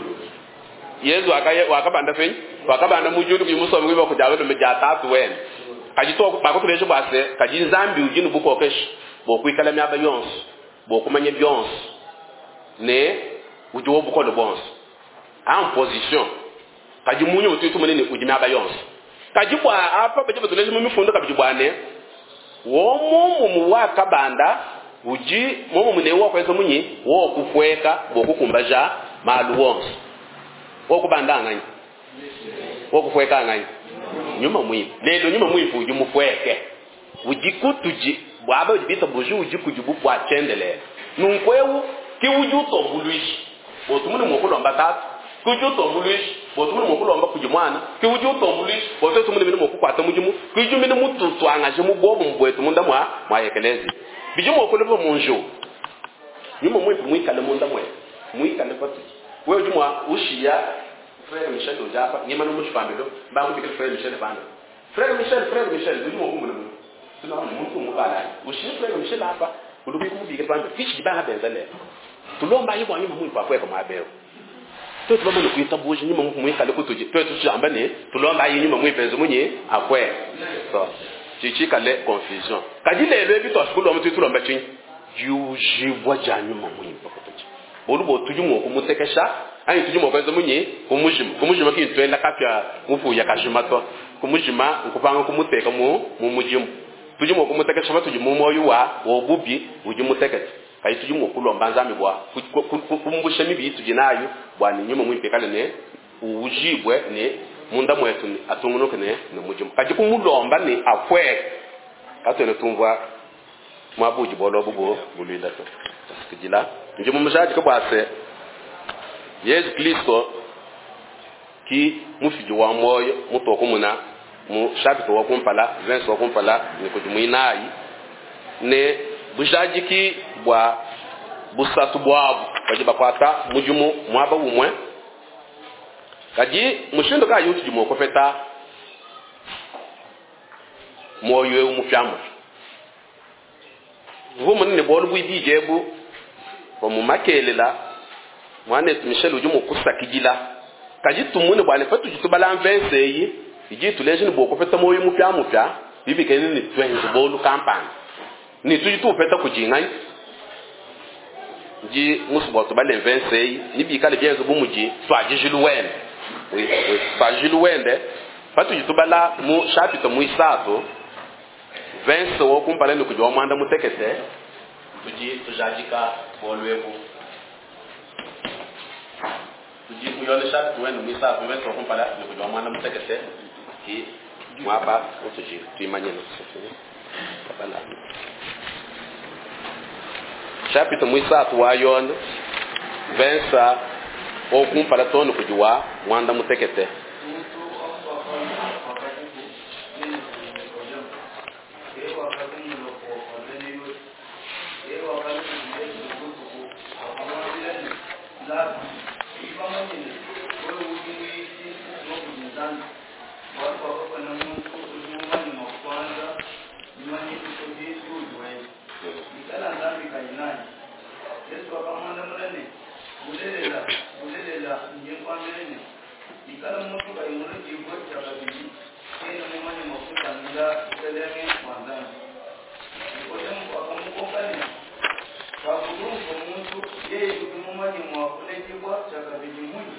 Yesu wakabanda penyi? Wakabanda mu julu kudi musombe kuiba kujalo ne ja Tatu wene. Kadi to bakutuleje bwa se kadi Nzambi udi ne bukokeshi bo kuikala miaba yonso, bo kumanya byonso ne udi wo bukole bonso. En position. Kadi munyu utu tumunene udi miaba yonso. Kadi bwa apa badi batuleje mu mifundo kabidi bwa ne wo mumu wakabanda udi mumu mune wo kweza munyi wo kukweka bo kukumbaja malu wonso. Wo kubanda nganyi? Wo kukweka nganyi? Nyuma muimpe. Lelo nyuma muimpe udi mukweke. Udi kutuji bwaba udi bita buji udi kujibu bwa chendele. Nunkweu ki udi utombuluishi. Botumune mukulomba Tatu. Ki udi utombuluishi. Botumune mukulomba kudi Mwana. Ki udi utombuluishi. Botumune mine mukukwata mudimu. Ki udi mine mututwangaje mu bobo mbwetu munda mwa mwa ekelezi. Biji mukulomba munju. Nyuma muimpe muikale munda mwe. Muikale patu. Wewe udi mwa ushiya Frère Michel ujapa ngima no mushipambelo bakubikila Frère Michel bana. Frère Michel, Frère Michel udi mukumuna mu. Tuna muntu mubala. Ushiya Frère Michel hapa ulubi kumubikila bana. Kichi bana benzele. Tulomba yibo nyuma muimpe akweka mwabeo. Twetu bamane kuita buji nyuma muikale kutuji. Twetu tujamba ne tulomba yi nyuma muimpe nzumunyi akwe. So chichikale confusion. Kadi lelo ebi twashikulwa mutu tulomba chinyi. Yujibwa ja nyuma muimpe kutuji. Bolu bo tuji mu kumutekesha anyi tuji mu kwenza munyi kumujima. Kumujima ki twenda kapya mufuya kajima to. Kumujima nkupanga kumuteka mu mujimu. Tuji mu kumutekesha batuji mu moyo wa obubi uji mutekete. Kayi tuji mu kulomba Nzambi bwa kumbusha mibi tuji nayo bwa ni nyuma muimpe kale ne ujibwe ne munda mwetu ni atungunuke ne mujimu. Kaji kumulomba ni akwe. Katwene tumvwa mwabuji bolo bubo bulwila to. Kujila nje mumujaji kabwase Yesu Kristo ki mufiji wa moyo mutoko muna mu chapitre wa kumpala 20 wa kumpala ni kujumuinayi ne bujaji ki bwa busatu bwabu baji bakwata mujumu mwaba umwe kaji mushindo ka yutu jumo kofeta moyo umufyamu vumu ne bolu buibijebu bamumakelela mwana Michel uje mukusakidila kaji tumune bwana fatu jitubala mvenseyi iji tuleje ni boko feta moyo mupya mupya bibikene ni twenze bolu kampani ni tuji tupeta kujinga ji musubo tubale mvenseyi ni bikale byenze bumuji twajijilu wende oui oui twajijilu wende fatu jitubala mu chapitre muisato 20 wo kumpala ni kujwa mwanda mutekete tuji tujajika bolwebu tuji kuyone chapitre wenu muisato 20 wo kumpala ni kujwa mwanda mutekete ki mwaba utuji tuimanye no kabala chapitre muisato wa yona 20 wo kumpala tono kujwa mwanda mutekete. Pakulumvua muntu, yeye udi mumanye mua kuledibua tshiakabidi munyi?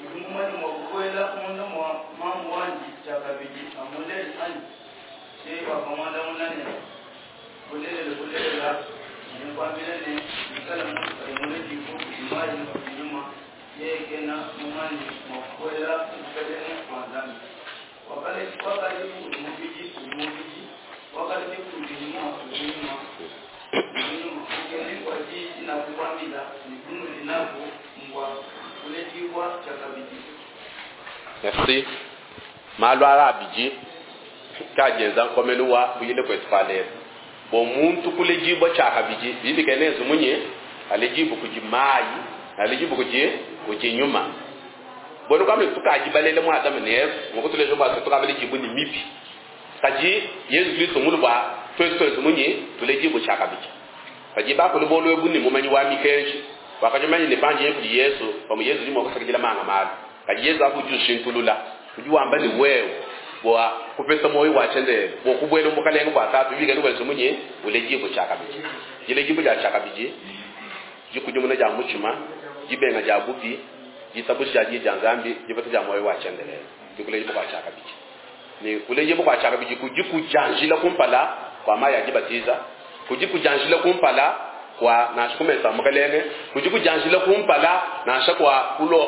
Udi mumanye mua kubuela munda mua mamu wandi tshiakabidi, amulele, anyi? Yeye wakamuandamuna ne, Bulelela, bulelela, ndi nkuambila ne, Bikala muntu kayi muledibue kudi mayi ne kudi Nyuma, yeye kena mumanye mua kubuela mu bukelenge bua Nzambi. Wakaledi kudi mubidi udi mubidi, wakaledi kudi Nyuma udi nyuma. Nyuma. Bukemi bua diyi dinakukuambila ne bunudi nabu mbua kuledibua tshiakabidi. Merci. Malu aa abidi ke adi enza nkomenu wa kuyila kuetu kua lelu. Bua muntu kuledibua tshiakabidi, bidi bikengela enze munyi? Aledibue kudi mayi ne aledibue kudi kudi nyuma. Buena kuamba ne, tukadi balele mu Adama ne Eva, mua kutuleja bua se, tukadi baledibue ne mibi. Kadi Yezu Kristo mmulue bua tuetu tuenze munyi? Tuledibue tshiakabidi. Padi bakulu bualu ebu ne mumanyi wa mikenji, wakadi mumanye ne, pandi nya kudi Yezu, pamue Yezu udi mua kusakidila manga malu. Kadi Yezu apu udi ushintulula. Udi wamba ne, Wewe, bua kupeta muoyo wa tshiendelele, bua kubuela mu bukalenge bua Tatu, bikale wenza munyi? Uledibue tshiakabidi. Diledibua dia tshiakabidi, dikudimuna dia mutshima, dibenga dia bubi, ditabuja dia Diyi dia Nzambi, dipeta dia muoyo wa tshiendelele, ke kuledibua kua tshiakabidi. Ne kuledibua kua tshiakabidi kudi kudianjila kumpala kua mayi a dibatiza, kudi kudianjila kumpala kua nansha ku mesa a Mukelenge, kudi kudianjila kumpala nansha kua kulua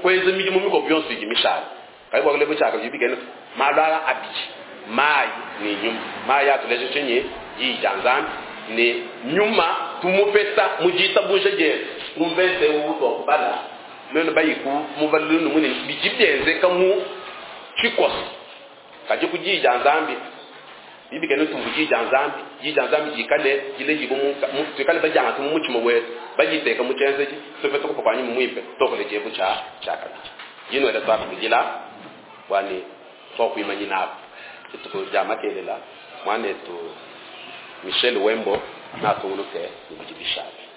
kuenza midimu mikuabu yonso idi mishale. Kadi bua kuledibua tshiakabidi bikena malu aa abidi, mayi ne nyuma. Mayi atuleja tshinyi? Diyi dia Nzambi ne nyuma tumupeta mu ditabuja dietu. Ku mvese eu utuakubala, nuenu bayi ku muvalulu ne munene, bidi bienzeka mu tshikoso. Kadi ku Diyi dia Nzambi, bidi bikengela tumvue Diyi dia Nzambi, Diyi dia Nzambi dikale diledibue mu, mu, tuikale badiangate mu mutshima wetu, baditeke mu tshienzedi, tupete kupa kua Nyuma Muimpe, tuakule diebu tshia tshiakabidi. Ndi nuela tuakabidila bua ne tuakuimanyina apu dituku dia makelela. Muanetu Michel Wembo neatungunuke ne bidi bishale.